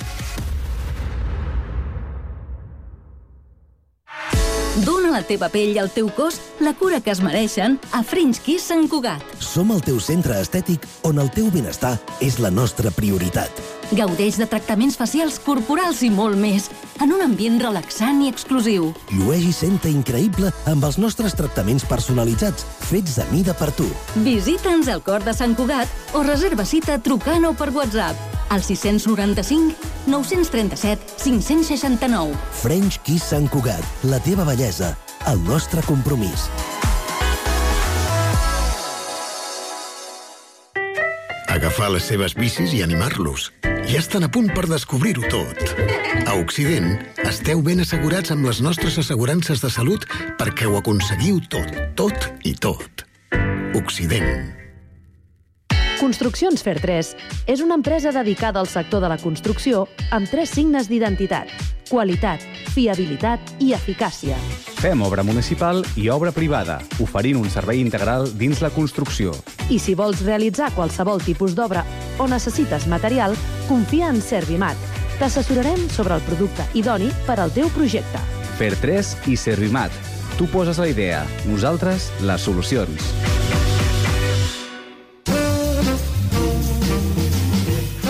Dóna a la teva pell i al teu cos la cura que es mereixen a French Kiss Sant Cugat. Som el teu centre estètic on el teu benestar és la nostra prioritat. Gaudeix de tractaments facials, corporals i molt més, en un ambient relaxant i exclusiu. Llueix i senta increïble amb els nostres tractaments personalitzats, fets a mida per tu. Visita'ns al cor de Sant Cugat o reserva cita trucant o per WhatsApp al 695 937 569. French Kiss Sant Cugat, la teva bellesa, el nostre compromís. Agafar les seves bicis i animar-los. Ja estan a punt per descobrir-ho tot. A Occident, esteu ben assegurats amb les nostres assegurances de salut perquè ho aconseguiu tot, tot i tot. Occident. Construccions Fer3 és una empresa dedicada al sector de la construcció amb 3 signes d'identitat: qualitat, fiabilitat i eficàcia. Fem obra municipal i obra privada, oferint un servei integral dins la construcció. I si vols realitzar qualsevol tipus d'obra o necessites material, confia en Servimat. T'assessorarem sobre el producte idoni per al teu projecte. Fer3 i Servimat. Tu poses la idea, nosaltres les solucions.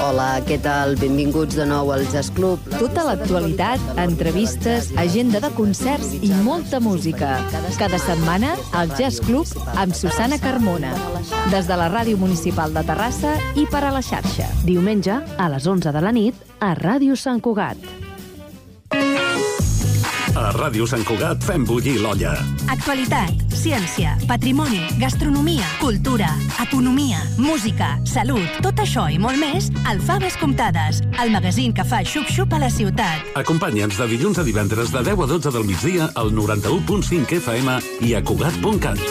Hola, què tal? Benvinguts de nou al Jazz Club. Tota l'actualitat, entrevistes, agenda de concerts i molta música. Cada setmana, al Jazz Club amb Susana Carmona. Des de la Ràdio Municipal de Terrassa i per a la xarxa. Diumenge, a les 11 de la nit, a Ràdio Sant Cugat. A Ràdio Sant Cugat fem bullir l'olla. Actualitat, ciència, patrimoni, gastronomia, cultura, economia, música, salut, tot això i molt més al Faves Comptades, el magazín que fa xup-xup a la ciutat. Acompanya'ns de dilluns a divendres de 10 a 12 del migdia al 91.5 FM i a Cugat.cat.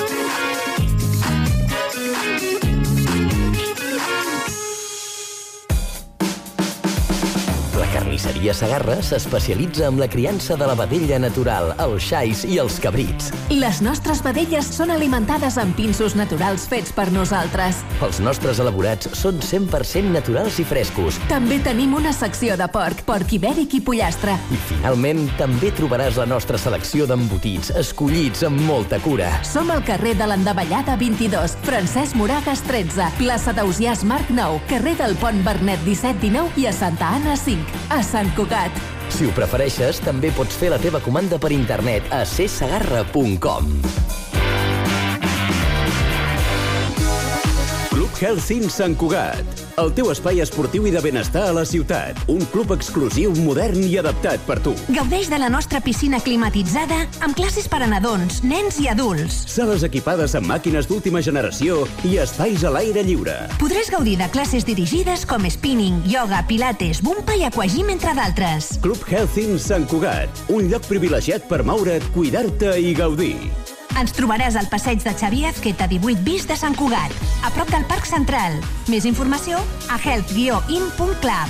carnisseria Segarra s'especialitza en la criança de la vedella natural, els xais i els cabrits. Les nostres vedelles són alimentades amb pinsos naturals fets per nosaltres. Els nostres elaborats són 100% naturals i frescos. També tenim una secció de porc ibèric i pollastre. I finalment també trobaràs la nostra selecció d'embotits, escollits amb molta cura. Som al carrer de l'Endavellada 22, Francesc Moragas 13, plaça d'Ausiàs Marc 9, carrer del Pont Vernet 17-19 i a Santa Anna 5, a Sant Cugat. Si ho prefereixes, també pots fer la teva comanda per internet a csegarra.com. Club Healthing Sant Cugat, el teu espai esportiu i de benestar a la ciutat. Un club exclusiu, modern i adaptat per tu. Gaudeix de la nostra piscina climatitzada amb classes per a nadons, nens i adults. Sales equipades amb màquines d'última generació i espais a l'aire lliure. Podràs gaudir de classes dirigides com spinning, ioga, pilates, bumpa i aquagym, entre d'altres. Club Healthing Sant Cugat, un lloc privilegiat per moure't, cuidar-te i gaudir. Ens trobaràs al passeig de Xavier Azqueta 18 bis de Sant Cugat, a prop del Parc Central. Més informació a health-in.club.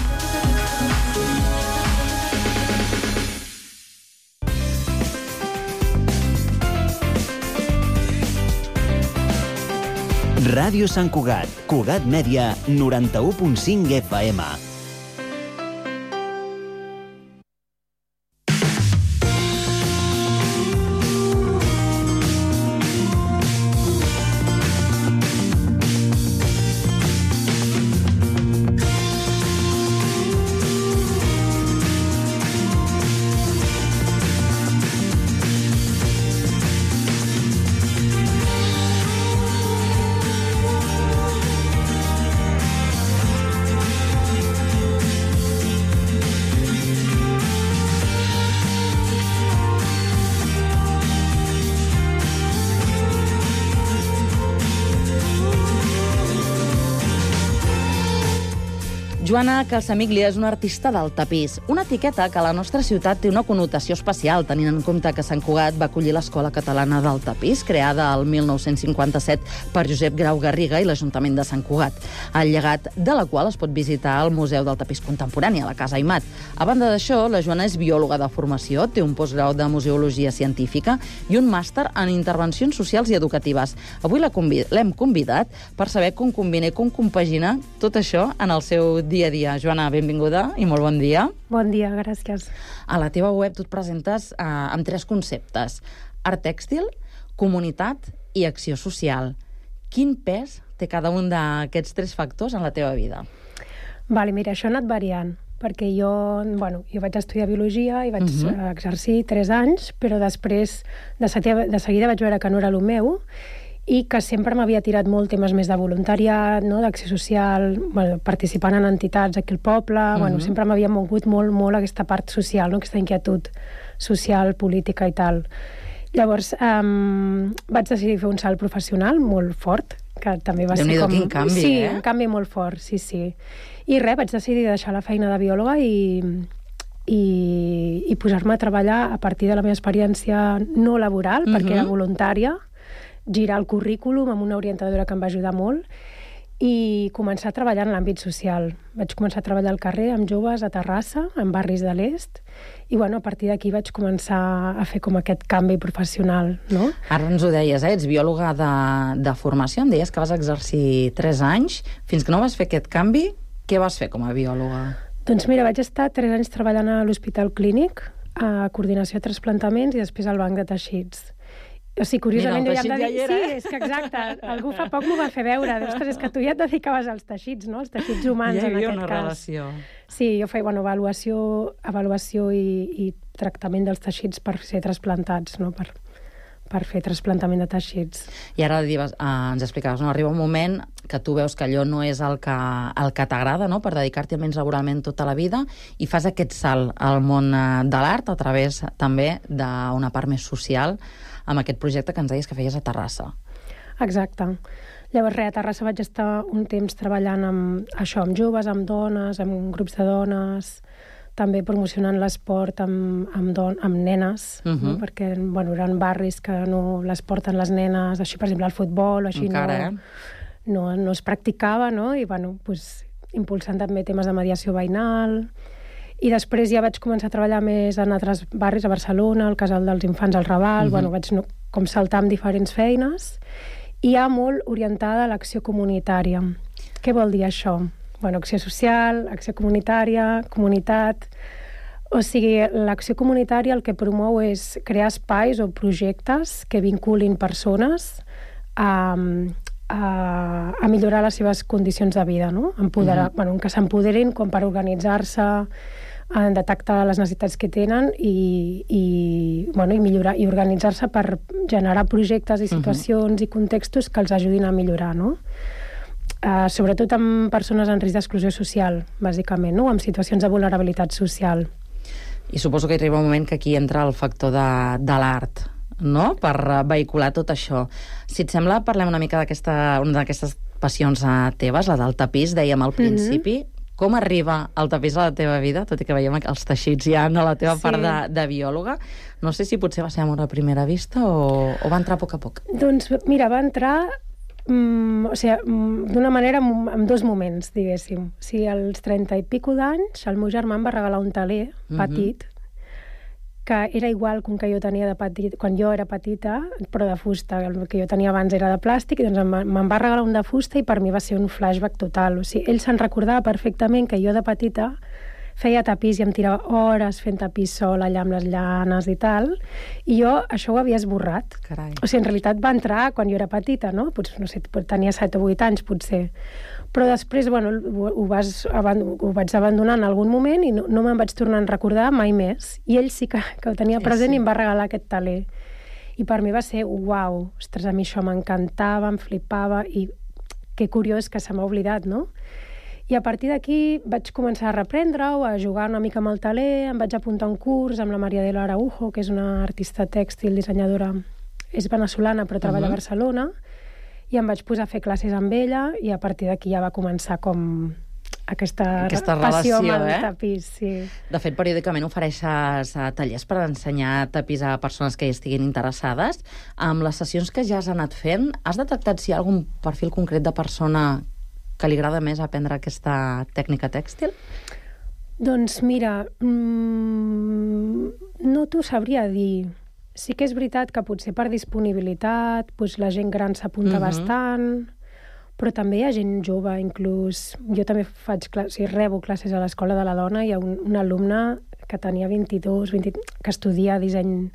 Ràdio Sant Cugat, Cugat Mèdia, 91.5 FM. Joana Calsamiglia és una artista del tapís, una etiqueta que a la nostra ciutat té una connotació especial, tenint en compte que Sant Cugat va acollir l'Escola Catalana del Tapís, creada el 1957 per Josep Grau Garriga i l'Ajuntament de Sant Cugat, el llegat de la qual es pot visitar al Museu del Tapís Contemporani, a la Casa Aimat. A banda d'això, la Joana és biòloga de formació, té un postgrau de museologia científica i un màster en intervencions socials i educatives. Avui l'hem convidat per saber com combina i com compagina tot això en el seu dia a dia. Joana, benvinguda i molt bon dia. Bon dia, gràcies. A la teva web tu et presentes amb 3 conceptes: art tèxtil, comunitat i acció social. Quin pes té cada un d'aquests 3 factors en la teva vida? Vale, mira, això ha anat variant, perquè jo vaig estudiar biologia i vaig exercir 3 anys, però després de seguida vaig veure que no era el meu i que sempre m'havia tirat molt temes més de voluntariat, no? D'acció social, participant en entitats aquí al poble, sempre m'havia mogut molt aquesta part social, no? Aquesta inquietud social, política i tal. Llavors vaig decidir fer un salt professional molt fort, que també va ser com... Quin canvi, sí, un canvi molt fort, sí. I res, vaig decidir deixar la feina de biòloga i posar-me a treballar a partir de la meva experiència no laboral, perquè era voluntària, girar el currículum amb una orientadora que em va ajudar molt i començar a treballar en l'àmbit social. Vaig començar a treballar al carrer amb joves a Terrassa, en barris de l'est, i a partir d'aquí vaig començar a fer com aquest canvi professional, no? Ara ens ho deies, ets biòloga de formació, em deies que vas exercir 3 anys. Fins que no vas fer aquest canvi, què vas fer com a biòloga? Doncs mira, vaig estar 3 anys treballant a l'Hospital Clínic, a coordinació de trasplantaments i després al banc de teixits. O sigui, curiosament... Mira, el teixit ja hi era. Sí, és que exacte. Algú fa poc m'ho va fer veure. Ostres, és que tu ja et dedicaves als teixits, no? Els teixits humans, en aquest cas. Ja hi havia una relació. Sí, jo feia avaluació i tractament dels teixits per ser trasplantats, no? Per fer trasplantament de teixits. I ara ens explicaves, no? Arriba un moment que tu veus que allò no és el que t'agrada, no? Per dedicar-t'hi almenys laboralment tota la vida, i fas aquest salt al món de l'art a través també d'una part més social, amb aquest projecte que ens deies que feies a Terrassa. Exacte. Llavors, a Terrassa vaig estar un temps treballant amb joves, amb dones, amb grups de dones, també promocionant l'esport amb nenes, no? Perquè eren barris que no les porten les nenes, així, per exemple, el futbol, així encara, no es practicava, no? I impulsant també temes de mediació veïnal. I després ja vaig començar a treballar més en altres barris, a Barcelona, al Casal dels Infants, al Raval, bueno, vaig com saltar amb diferents feines, i ja molt orientada a l'acció comunitària. Què vol dir això? Bueno, acció social, acció comunitària, comunitat... O sigui, l'acció comunitària el que promou és crear espais o projectes que vinculin persones a millorar les seves condicions de vida, no? Bueno, que s'empoderin com per organitzar-se, detectar les necessitats que tenen i millorar i organitzar-se per generar projectes i situacions i contextos que els ajudin a millorar, no? Sobretot amb persones en risc d'exclusió social, bàsicament, no? Amb situacions de vulnerabilitat social. I suposo que arriba un moment que aquí entra el factor de l'art, no?, per vehicular tot això. Si et sembla, parlem una mica una d'aquestes passions teves, la del tapís, dèiem al principi. Com arriba el tapís a la teva vida, tot i que veiem els teixits ja a la teva part de biòloga? No sé si potser va ser amor a primera vista o va entrar a poc a poc. Doncs mira, va entrar d'una manera en dos moments, diguéssim. O sigui, als 30 i pico d'anys, el meu germà em va regalar un teler petit, que era igual que un que jo tenia de petit, quan jo era petita, però de fusta. El que jo tenia abans era de plàstic, i doncs me'n va regalar un de fusta i per mi va ser un flashback total. O sigui, ell se'n recordava perfectament que jo de petita feia tapís i em tirava hores fent tapís sol allà amb les llanes i tal, i jo això ho havia esborrat. Carai. O sigui, en realitat va entrar quan jo era petita, no? Potser, no sé, tenia 7 o 8 anys, potser. Però després, bueno, ho vaig abandonar en algun moment i no me'n vaig tornar a recordar mai més. I ell sí que ho tenia present i em va regalar aquest teler. I per mi va ser, uau, ostres, a mi això m'encantava, em flipava, i que curiós que se m'ha oblidat, no? I a partir d'aquí vaig començar a reprendre-ho, a jugar una mica amb el teler, em vaig apuntar a un curs amb la Maria de l'Araujo, que és una artista tèxtil, dissenyadora, és venezolana però treballa a Barcelona, i em vaig posar a fer classes amb ella, i a partir d'aquí ja va començar com aquesta passió amb el tapís. Sí. De fet, periòdicament ofereixes tallers per ensenyar tapís a persones que hi estiguin interessades. Amb les sessions que ja has anat fent, has detectat si hi ha algun perfil concret de persona que li agrada més aprendre aquesta tècnica tèxtil? Doncs mira, no t'ho sabria dir. Sí que és veritat que potser per disponibilitat la gent gran s'apunta bastant, però també hi ha gent jove, inclús. Jo també rebo classes a l'Escola de la Dona, hi ha un alumne que tenia 22, que estudia disseny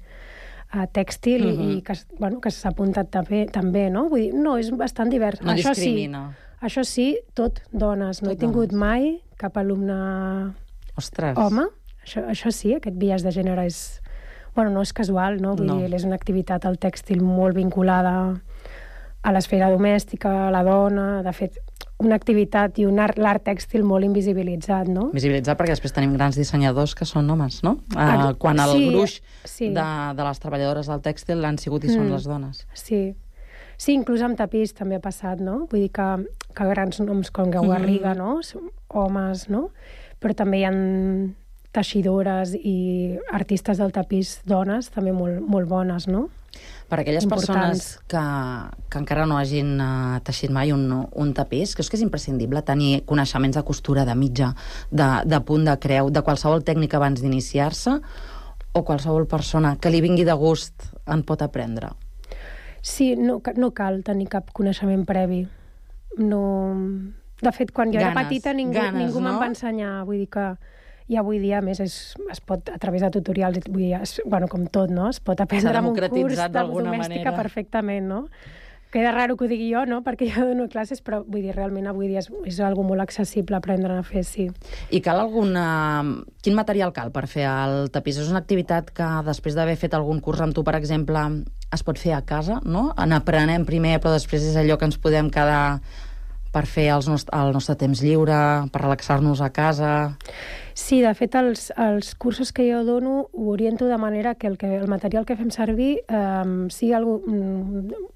tèxtil i que s'ha apuntat també, no? Vull dir, no, és bastant divers. No discrimina. Això sí, tot dones. No he tingut mai cap alumne home. Això sí, aquest biaix de gènere és... Bueno, no és casual, no? Vull dir, és una activitat al tèxtil molt vinculada a l'esfera domèstica, a la dona. De fet, una activitat i l'art tèxtil molt invisibilitzat, no? Invisibilitzat perquè després tenim grans dissenyadors que són homes, no? Quan el gruix de les treballadores del tèxtil han sigut i són les dones. Sí, inclús amb tapís també ha passat, no? Vull dir que grans noms com Gau Garriga, no? Són homes, no? Però també hi ha teixidores i artistes del tapís dones també molt bones, no? Per aquelles persones que encara no hagin teixit mai un tapís, creus que és imprescindible tenir coneixements de costura, de mitja, de punt de creu, de qualsevol tècnica abans d'iniciar-se, o qualsevol persona que li vingui de gust en pot aprendre? Sí, no cal tenir cap coneixement previ. No... De fet, quan jo era petita ningú me'n va ensenyar. Vull dir que i avui dia, a més, es pot, a través de tutorials, vull dir, com tot, no? Es pot aprendre amb un curs de domèstica perfectament, no? Queda raro que ho digui jo, no?, perquè jo dono classes, però vull dir, realment avui dia és algo molt accessible aprendre a fer, sí. I cal quin material cal per fer el tapís? És una activitat que després d'haver fet algun curs amb tu, per exemple, es pot fer a casa, no? N'aprenem primer, però després és allò que ens podem quedar per fer el nostre temps lliure, per relaxar-nos a casa... Sí, de fet, els cursos que jo dono ho oriento de manera que el material que fem servir sigui algo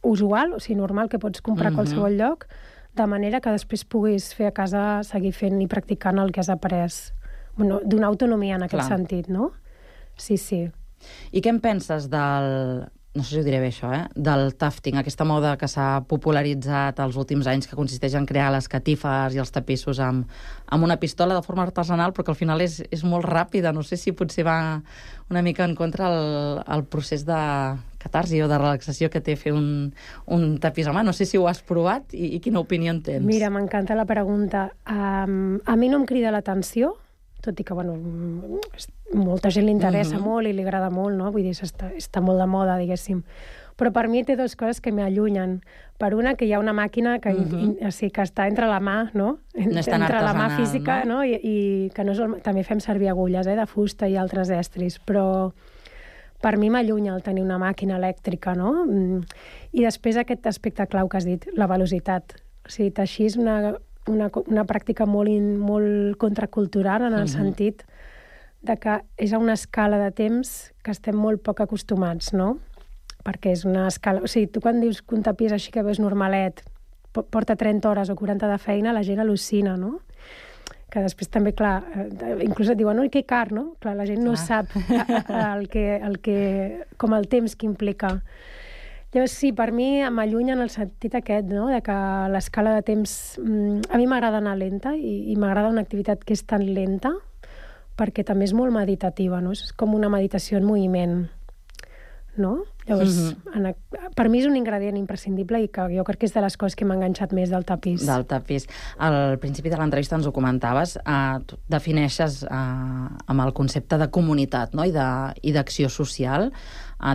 usual, o sigui, normal, que pots comprar a qualsevol lloc, de manera que després puguis fer a casa, seguir fent i practicant el que has après. Donar autonomia en aquest sentit, no? Sí, sí. I què en penses no sé si ho diré bé això, del tufting, aquesta moda que s'ha popularitzat els últims anys, que consisteix en crear les catifes i els tapissos amb una pistola de forma artesanal, però que al final és molt ràpida. No sé si potser va una mica en contra el procés de catarsi o de relaxació que té fer un tapís a mà. No sé si ho has provat i quina opinió en tens. Mira, m'encanta la pregunta. A mi no em crida l'atenció, tot i que, bueno, molta gent li interessa molt i li agrada molt, no? Vull dir, està molt de moda, diguéssim. Però per mi té dues coses que m'allunyen. Per una, que hi ha una màquina que està entre la mà, no? No és tan entre la mà artesanal, física, no? I que no és també fem servir agulles de fusta i altres estris, però per mi m'allunya el tenir una màquina elèctrica, no? I després aquest aspecte clau que has dit, la velocitat. O sigui, teixir és una pràctica molt contracultural en el sentit de que és a una escala de temps que estem molt poc acostumats, no? Perquè és una escala... O sigui, tu quan dius que un tapís així que ves normalet porta 30 hores o 40 de feina, la gent al·lucina, no? Que després també, clar, inclús et diuen, que car, no? Clar, la gent no sap com el temps que implica. Llavors, sí, per mi m'allunya en el sentit aquest, no?, de que l'escala de temps... A mi m'agrada anar lenta i m'agrada una activitat que és tan lenta perquè també és molt meditativa, no? És com una meditació en moviment, no? Llavors, per mi és un ingredient imprescindible i que jo crec que és de les coses que m'ha enganxat més del tapís. Del tapís. Al principi de l'entrevista ens ho comentaves, tu defineixes amb el concepte de comunitat, no?, i d'acció social.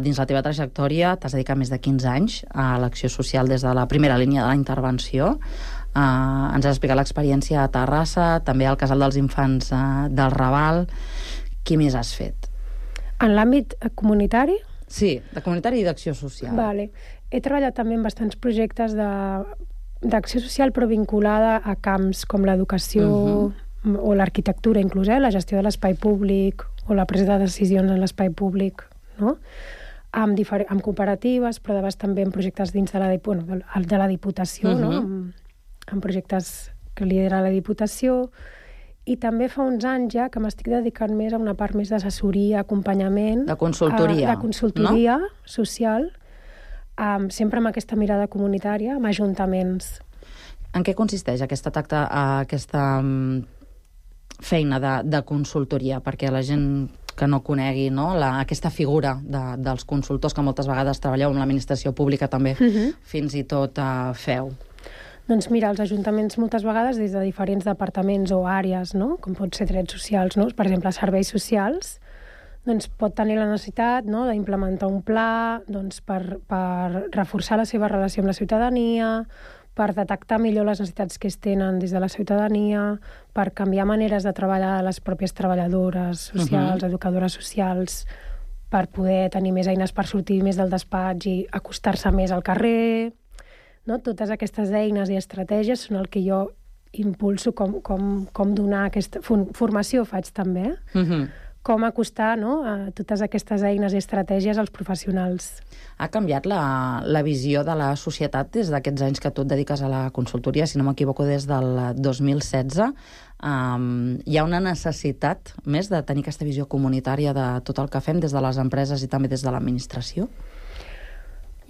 Dins la teva trajectòria t'has dedicat més de 15 anys a l'acció social des de la primera línia de la intervenció. Ens has explicat l'experiència a Terrassa, també al Casal dels Infants del Raval. Què més has fet? En l'àmbit comunitari? Sí, de comunitari i d'acció social. Vale. He treballat també en bastants projectes d'acció social, però vinculada a camps com l'educació o l'arquitectura, inclús, la gestió de l'espai públic o la presa de decisions en l'espai públic, no? Amb cooperatives, però de vegades també en projectes dins de la Diputació, no? En projectes que lidera la Diputació. I també fa uns anys ja que m'estic dedicant més a una part més d'assessoria, acompanyament... De consultoria. De consultoria social, sempre amb aquesta mirada comunitària, amb ajuntaments. En què consisteix aquesta feina de consultoria? Perquè la gent que no conegui, no, aquesta figura dels consultors, que moltes vegades treballeu amb l'administració pública també, fins i tot feu. Doncs mira, els ajuntaments moltes vegades des de diferents departaments o àrees, no?, com pot ser drets socials, no?, per exemple, serveis socials, doncs pot tenir la necessitat, no?, d'implementar un pla, doncs, per reforçar la seva relació amb la ciutadania, per detectar millor les necessitats que es tenen des de la ciutadania, per canviar maneres de treballar les pròpies treballadores socials, educadores socials, per poder tenir més eines per sortir més del despatx i acostar-se més al carrer... No? Totes aquestes eines i estratègies són el que jo impulso com donar aquesta formació faig també, com acostar, no, a totes aquestes eines i estratègies als professionals. Ha canviat la visió de la societat des d'aquests anys que tu et dediques a la consultoria, si no m'equivoco des del 2016. Hi ha una necessitat més de tenir aquesta visió comunitària de tot el que fem des de les empreses i també des de l'administració?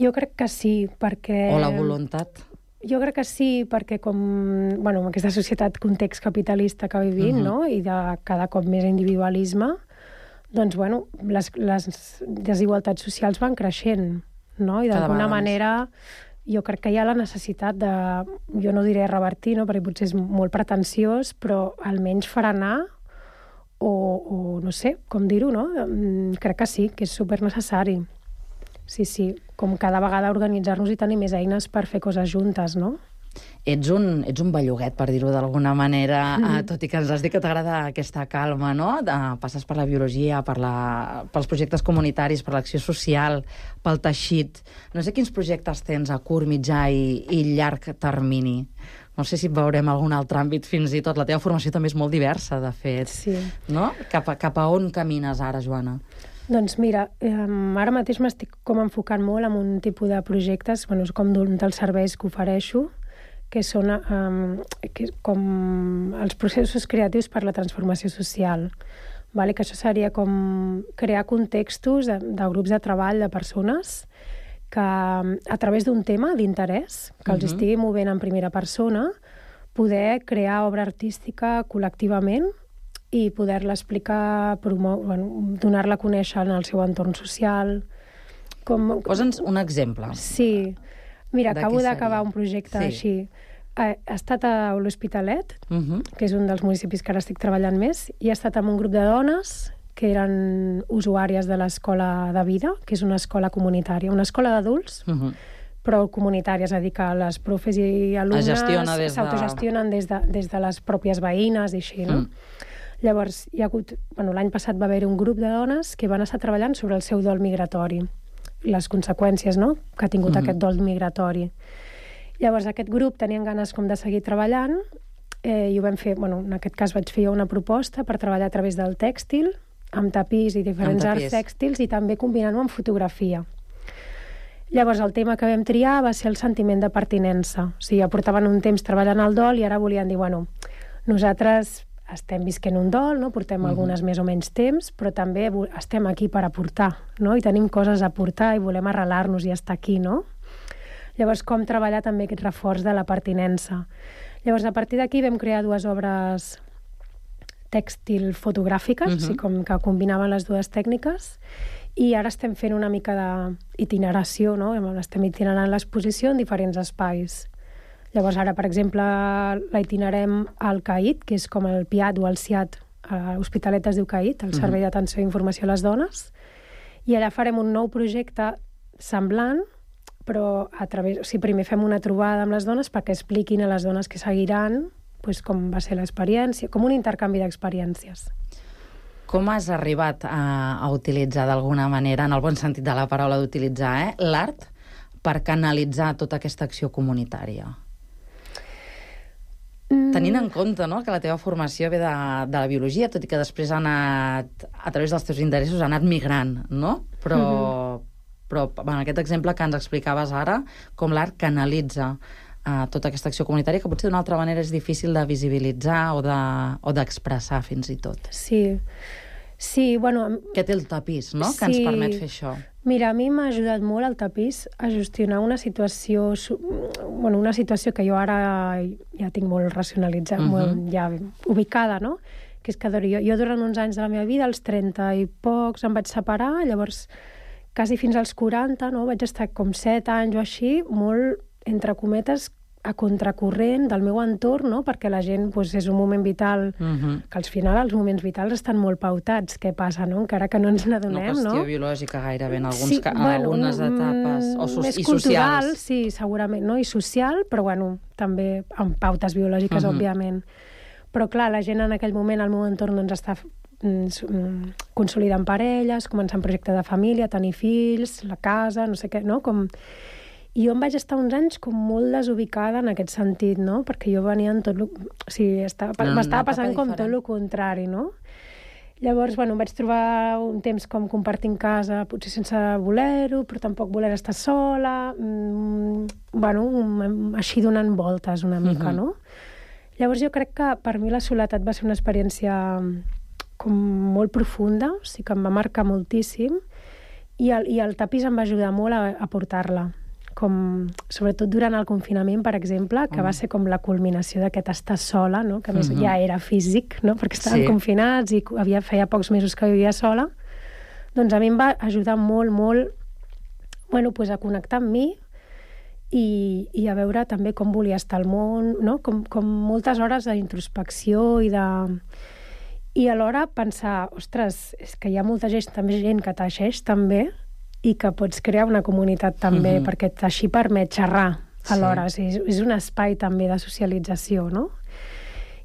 Jo crec que sí, perquè... O la voluntat? Jo crec que sí, perquè amb aquesta societat context capitalista que vivim, no?, i de cada cop més individualisme, doncs, les desigualtats socials van creixent, no? I d'alguna manera jo crec que hi ha la necessitat de, jo no diré revertir, no?, perquè potser és molt pretensiós, però almenys frenar o no sé com dir-ho, no? Crec que sí, que és supernecessari. Sí, com cada vegada organitzar-nos i tenir més eines per fer coses juntes, no? Ets un belluguet, per dir-ho d'alguna manera, tot i que ens has dit que t'agrada aquesta calma, no? Passes per la biologia, pels projectes comunitaris, per l'acció social, pel teixit. No sé quins projectes tens a curt, mitjà i llarg termini. No sé si veurem algun altre àmbit fins i tot. La teva formació també és molt diversa, de fet. Sí. No? Cap a on camines ara, Joana? Doncs mira, ara mateix m'estic com enfocant molt en un tipus de projectes, com dels serveis que ofereixo, que són com els processos creatius per la transformació social. vale? Que això seria com crear contextos de grups de treball de persones que a través d'un tema d'interès que els estigui movent en primera persona, poder crear obra artística col·lectivament i poder-la explicar, donar-la a conèixer en el seu entorn social. Posa'ns un exemple. Sí. Mira, acabo d'acabar un projecte així. He estat a l'Hospitalet, que és un dels municipis que ara estic treballant més, i he estat amb un grup de dones que eren usuàries de l'Escola de Vida, que és una escola comunitària, una escola d'adults, però comunitària, és a dir, que les profes i alumnes s'autogestionen des de les pròpies veïnes i així, no? Llavors, hi ha hagut... L'any passat va haver un grup de dones que van estar treballant sobre el seu dol migratori, les conseqüències, no?, que ha tingut aquest dol migratori. Llavors, aquest grup tenien ganes com de seguir treballant i ho vam fer... En aquest cas vaig fer una proposta per treballar a través del tèxtil, amb tapís i diferents arts tèxtils, i també combinant-ho amb fotografia. Llavors, el tema que vam triar va ser el sentiment de pertinença. O sigui, ja portaven un temps treballant el dol i ara volien dir, nosaltres estem visquent un dol, no? Portem algunes més o menys temps, però també estem aquí per aportar, no? I tenim coses a aportar i volem arrelar-nos i estar aquí, no? Llavors, com treballar també aquest reforç de la pertinença. Llavors, a partir d'aquí vam crear 2 obres tèxtil fotogràfiques, o sigui, com que combinaven les 2 tècniques, i ara estem fent una mica d'itineració, no? Estem itinerant l'exposició en diferents espais. Llavors, ara, per exemple, la itinerem al CAIT, que és com el PIAT o el CIAT, a l'Hospitalet es diu CAIT, el Servei d'Atenció i Informació a les Dones, i allà farem un nou projecte semblant, però primer fem una trobada amb les dones perquè expliquin a les dones que seguiran com va ser l'experiència, com un intercanvi d'experiències. Com has arribat a utilitzar d'alguna manera, en el bon sentit de la paraula d'utilitzar, l'art per canalitzar tota aquesta acció comunitària? Tenint en compte que la teva formació ve de la biologia, tot i que després ha anat, a través dels teus interessos, ha anat migrant, no? Però en aquest exemple que ens explicaves ara, com l'art canalitza tota aquesta acció comunitària, que potser d'una altra manera és difícil de visibilitzar o d'expressar fins i tot. Sí, Que té el tapís, no?, que ens permet fer això. Mira, a mi m'ha ajudat molt el tapís a gestionar una situació que jo ara ja tinc molt racionalitzada, molt ja ubicada, no?, que és que jo durant uns anys de la meva vida, als 30 i pocs, em vaig separar, llavors quasi fins als 40, no?, vaig estar com 7 anys o així, molt, entre cometes, a contracorrent del meu entorn, no?, perquè la gent és un moment vital, que al final els moments vitals estan molt pautats, què passa, no?, encara que no ens n'adonem, no? Una qüestió biològica gairebé en algunes etapes, més cultural, sí, segurament, no?, i social, però també amb pautes biològiques, òbviament. Però clar, la gent en aquell moment, al meu entorn, està consolidant parelles, començant projecte de família, tenir fills, la casa, no sé què, no?, I jo em vaig estar uns anys com molt desubicada en aquest sentit, no? Perquè jo venia en tot... m'estava passant com tot el contrari, no? Llavors, em vaig trobar un temps com compartint casa, potser sense voler-ho, però tampoc voler estar sola, així donant voltes una mica, no? Llavors jo crec que per mi la soledat va ser una experiència com molt profunda, o sigui que em va marcar moltíssim, i el tapís em va ajudar molt a portar-la. Sobretot durant el confinament, per exemple, que va ser com la culminació d'aquest estar sola, no? Que a més ja era físic, no? Perquè estàvem confinats i feia pocs mesos que vivia sola. Doncs a mi em va ajudar molt, molt a connectar amb mi i a veure també com volia estar al món, no? Com moltes hores d'introspecció i alhora pensar, ostres, és que hi ha molta gent que teixeix també, i que pots crear una comunitat també, perquè així permet xerrar alhora. És un espai també de socialització, no?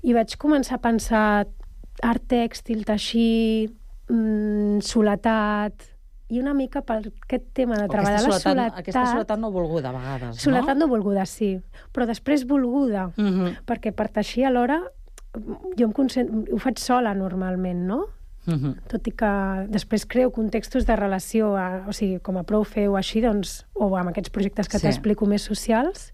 I vaig començar a pensar art tèxtil, teixir, soledat, i una mica per aquest tema de treballar la soledat... Aquesta soledat no volguda, a vegades, no? Soledat no volguda, sí, però després volguda, perquè per teixir alhora jo ho faig sola normalment, no? Tot i que després creo contextos de relació, o sigui, com a prou fer o així, doncs, o amb aquests projectes que t'explico més socials.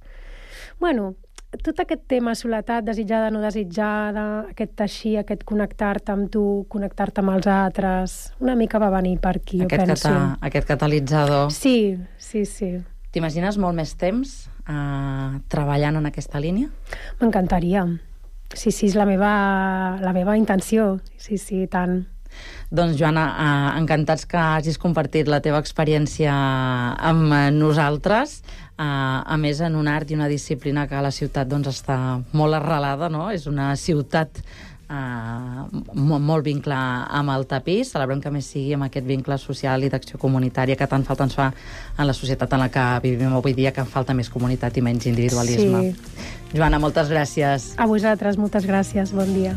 tot aquest tema, soledat, desitjada, no desitjada, aquest teixir, aquest connectar-te amb tu, connectar-te amb els altres, una mica va venir per aquí, jo penso. Aquest catalitzador. Sí. T'imagines molt més temps treballant en aquesta línia? M'encantaria. Sí, és la meva intenció. Sí, tant. Doncs, Joana, encantats que hagis compartit la teva experiència amb nosaltres, a més en un art i una disciplina que a la ciutat està molt arrelada, no? És una ciutat molt vincle amb el tapís. Celebrem que més sigui amb aquest vincle social i d'acció comunitària que tant falta ens fa en la societat en la que vivim avui dia, que falta més comunitat i menys individualisme. Joana, moltes gràcies. A vosaltres, moltes gràcies. Bon dia.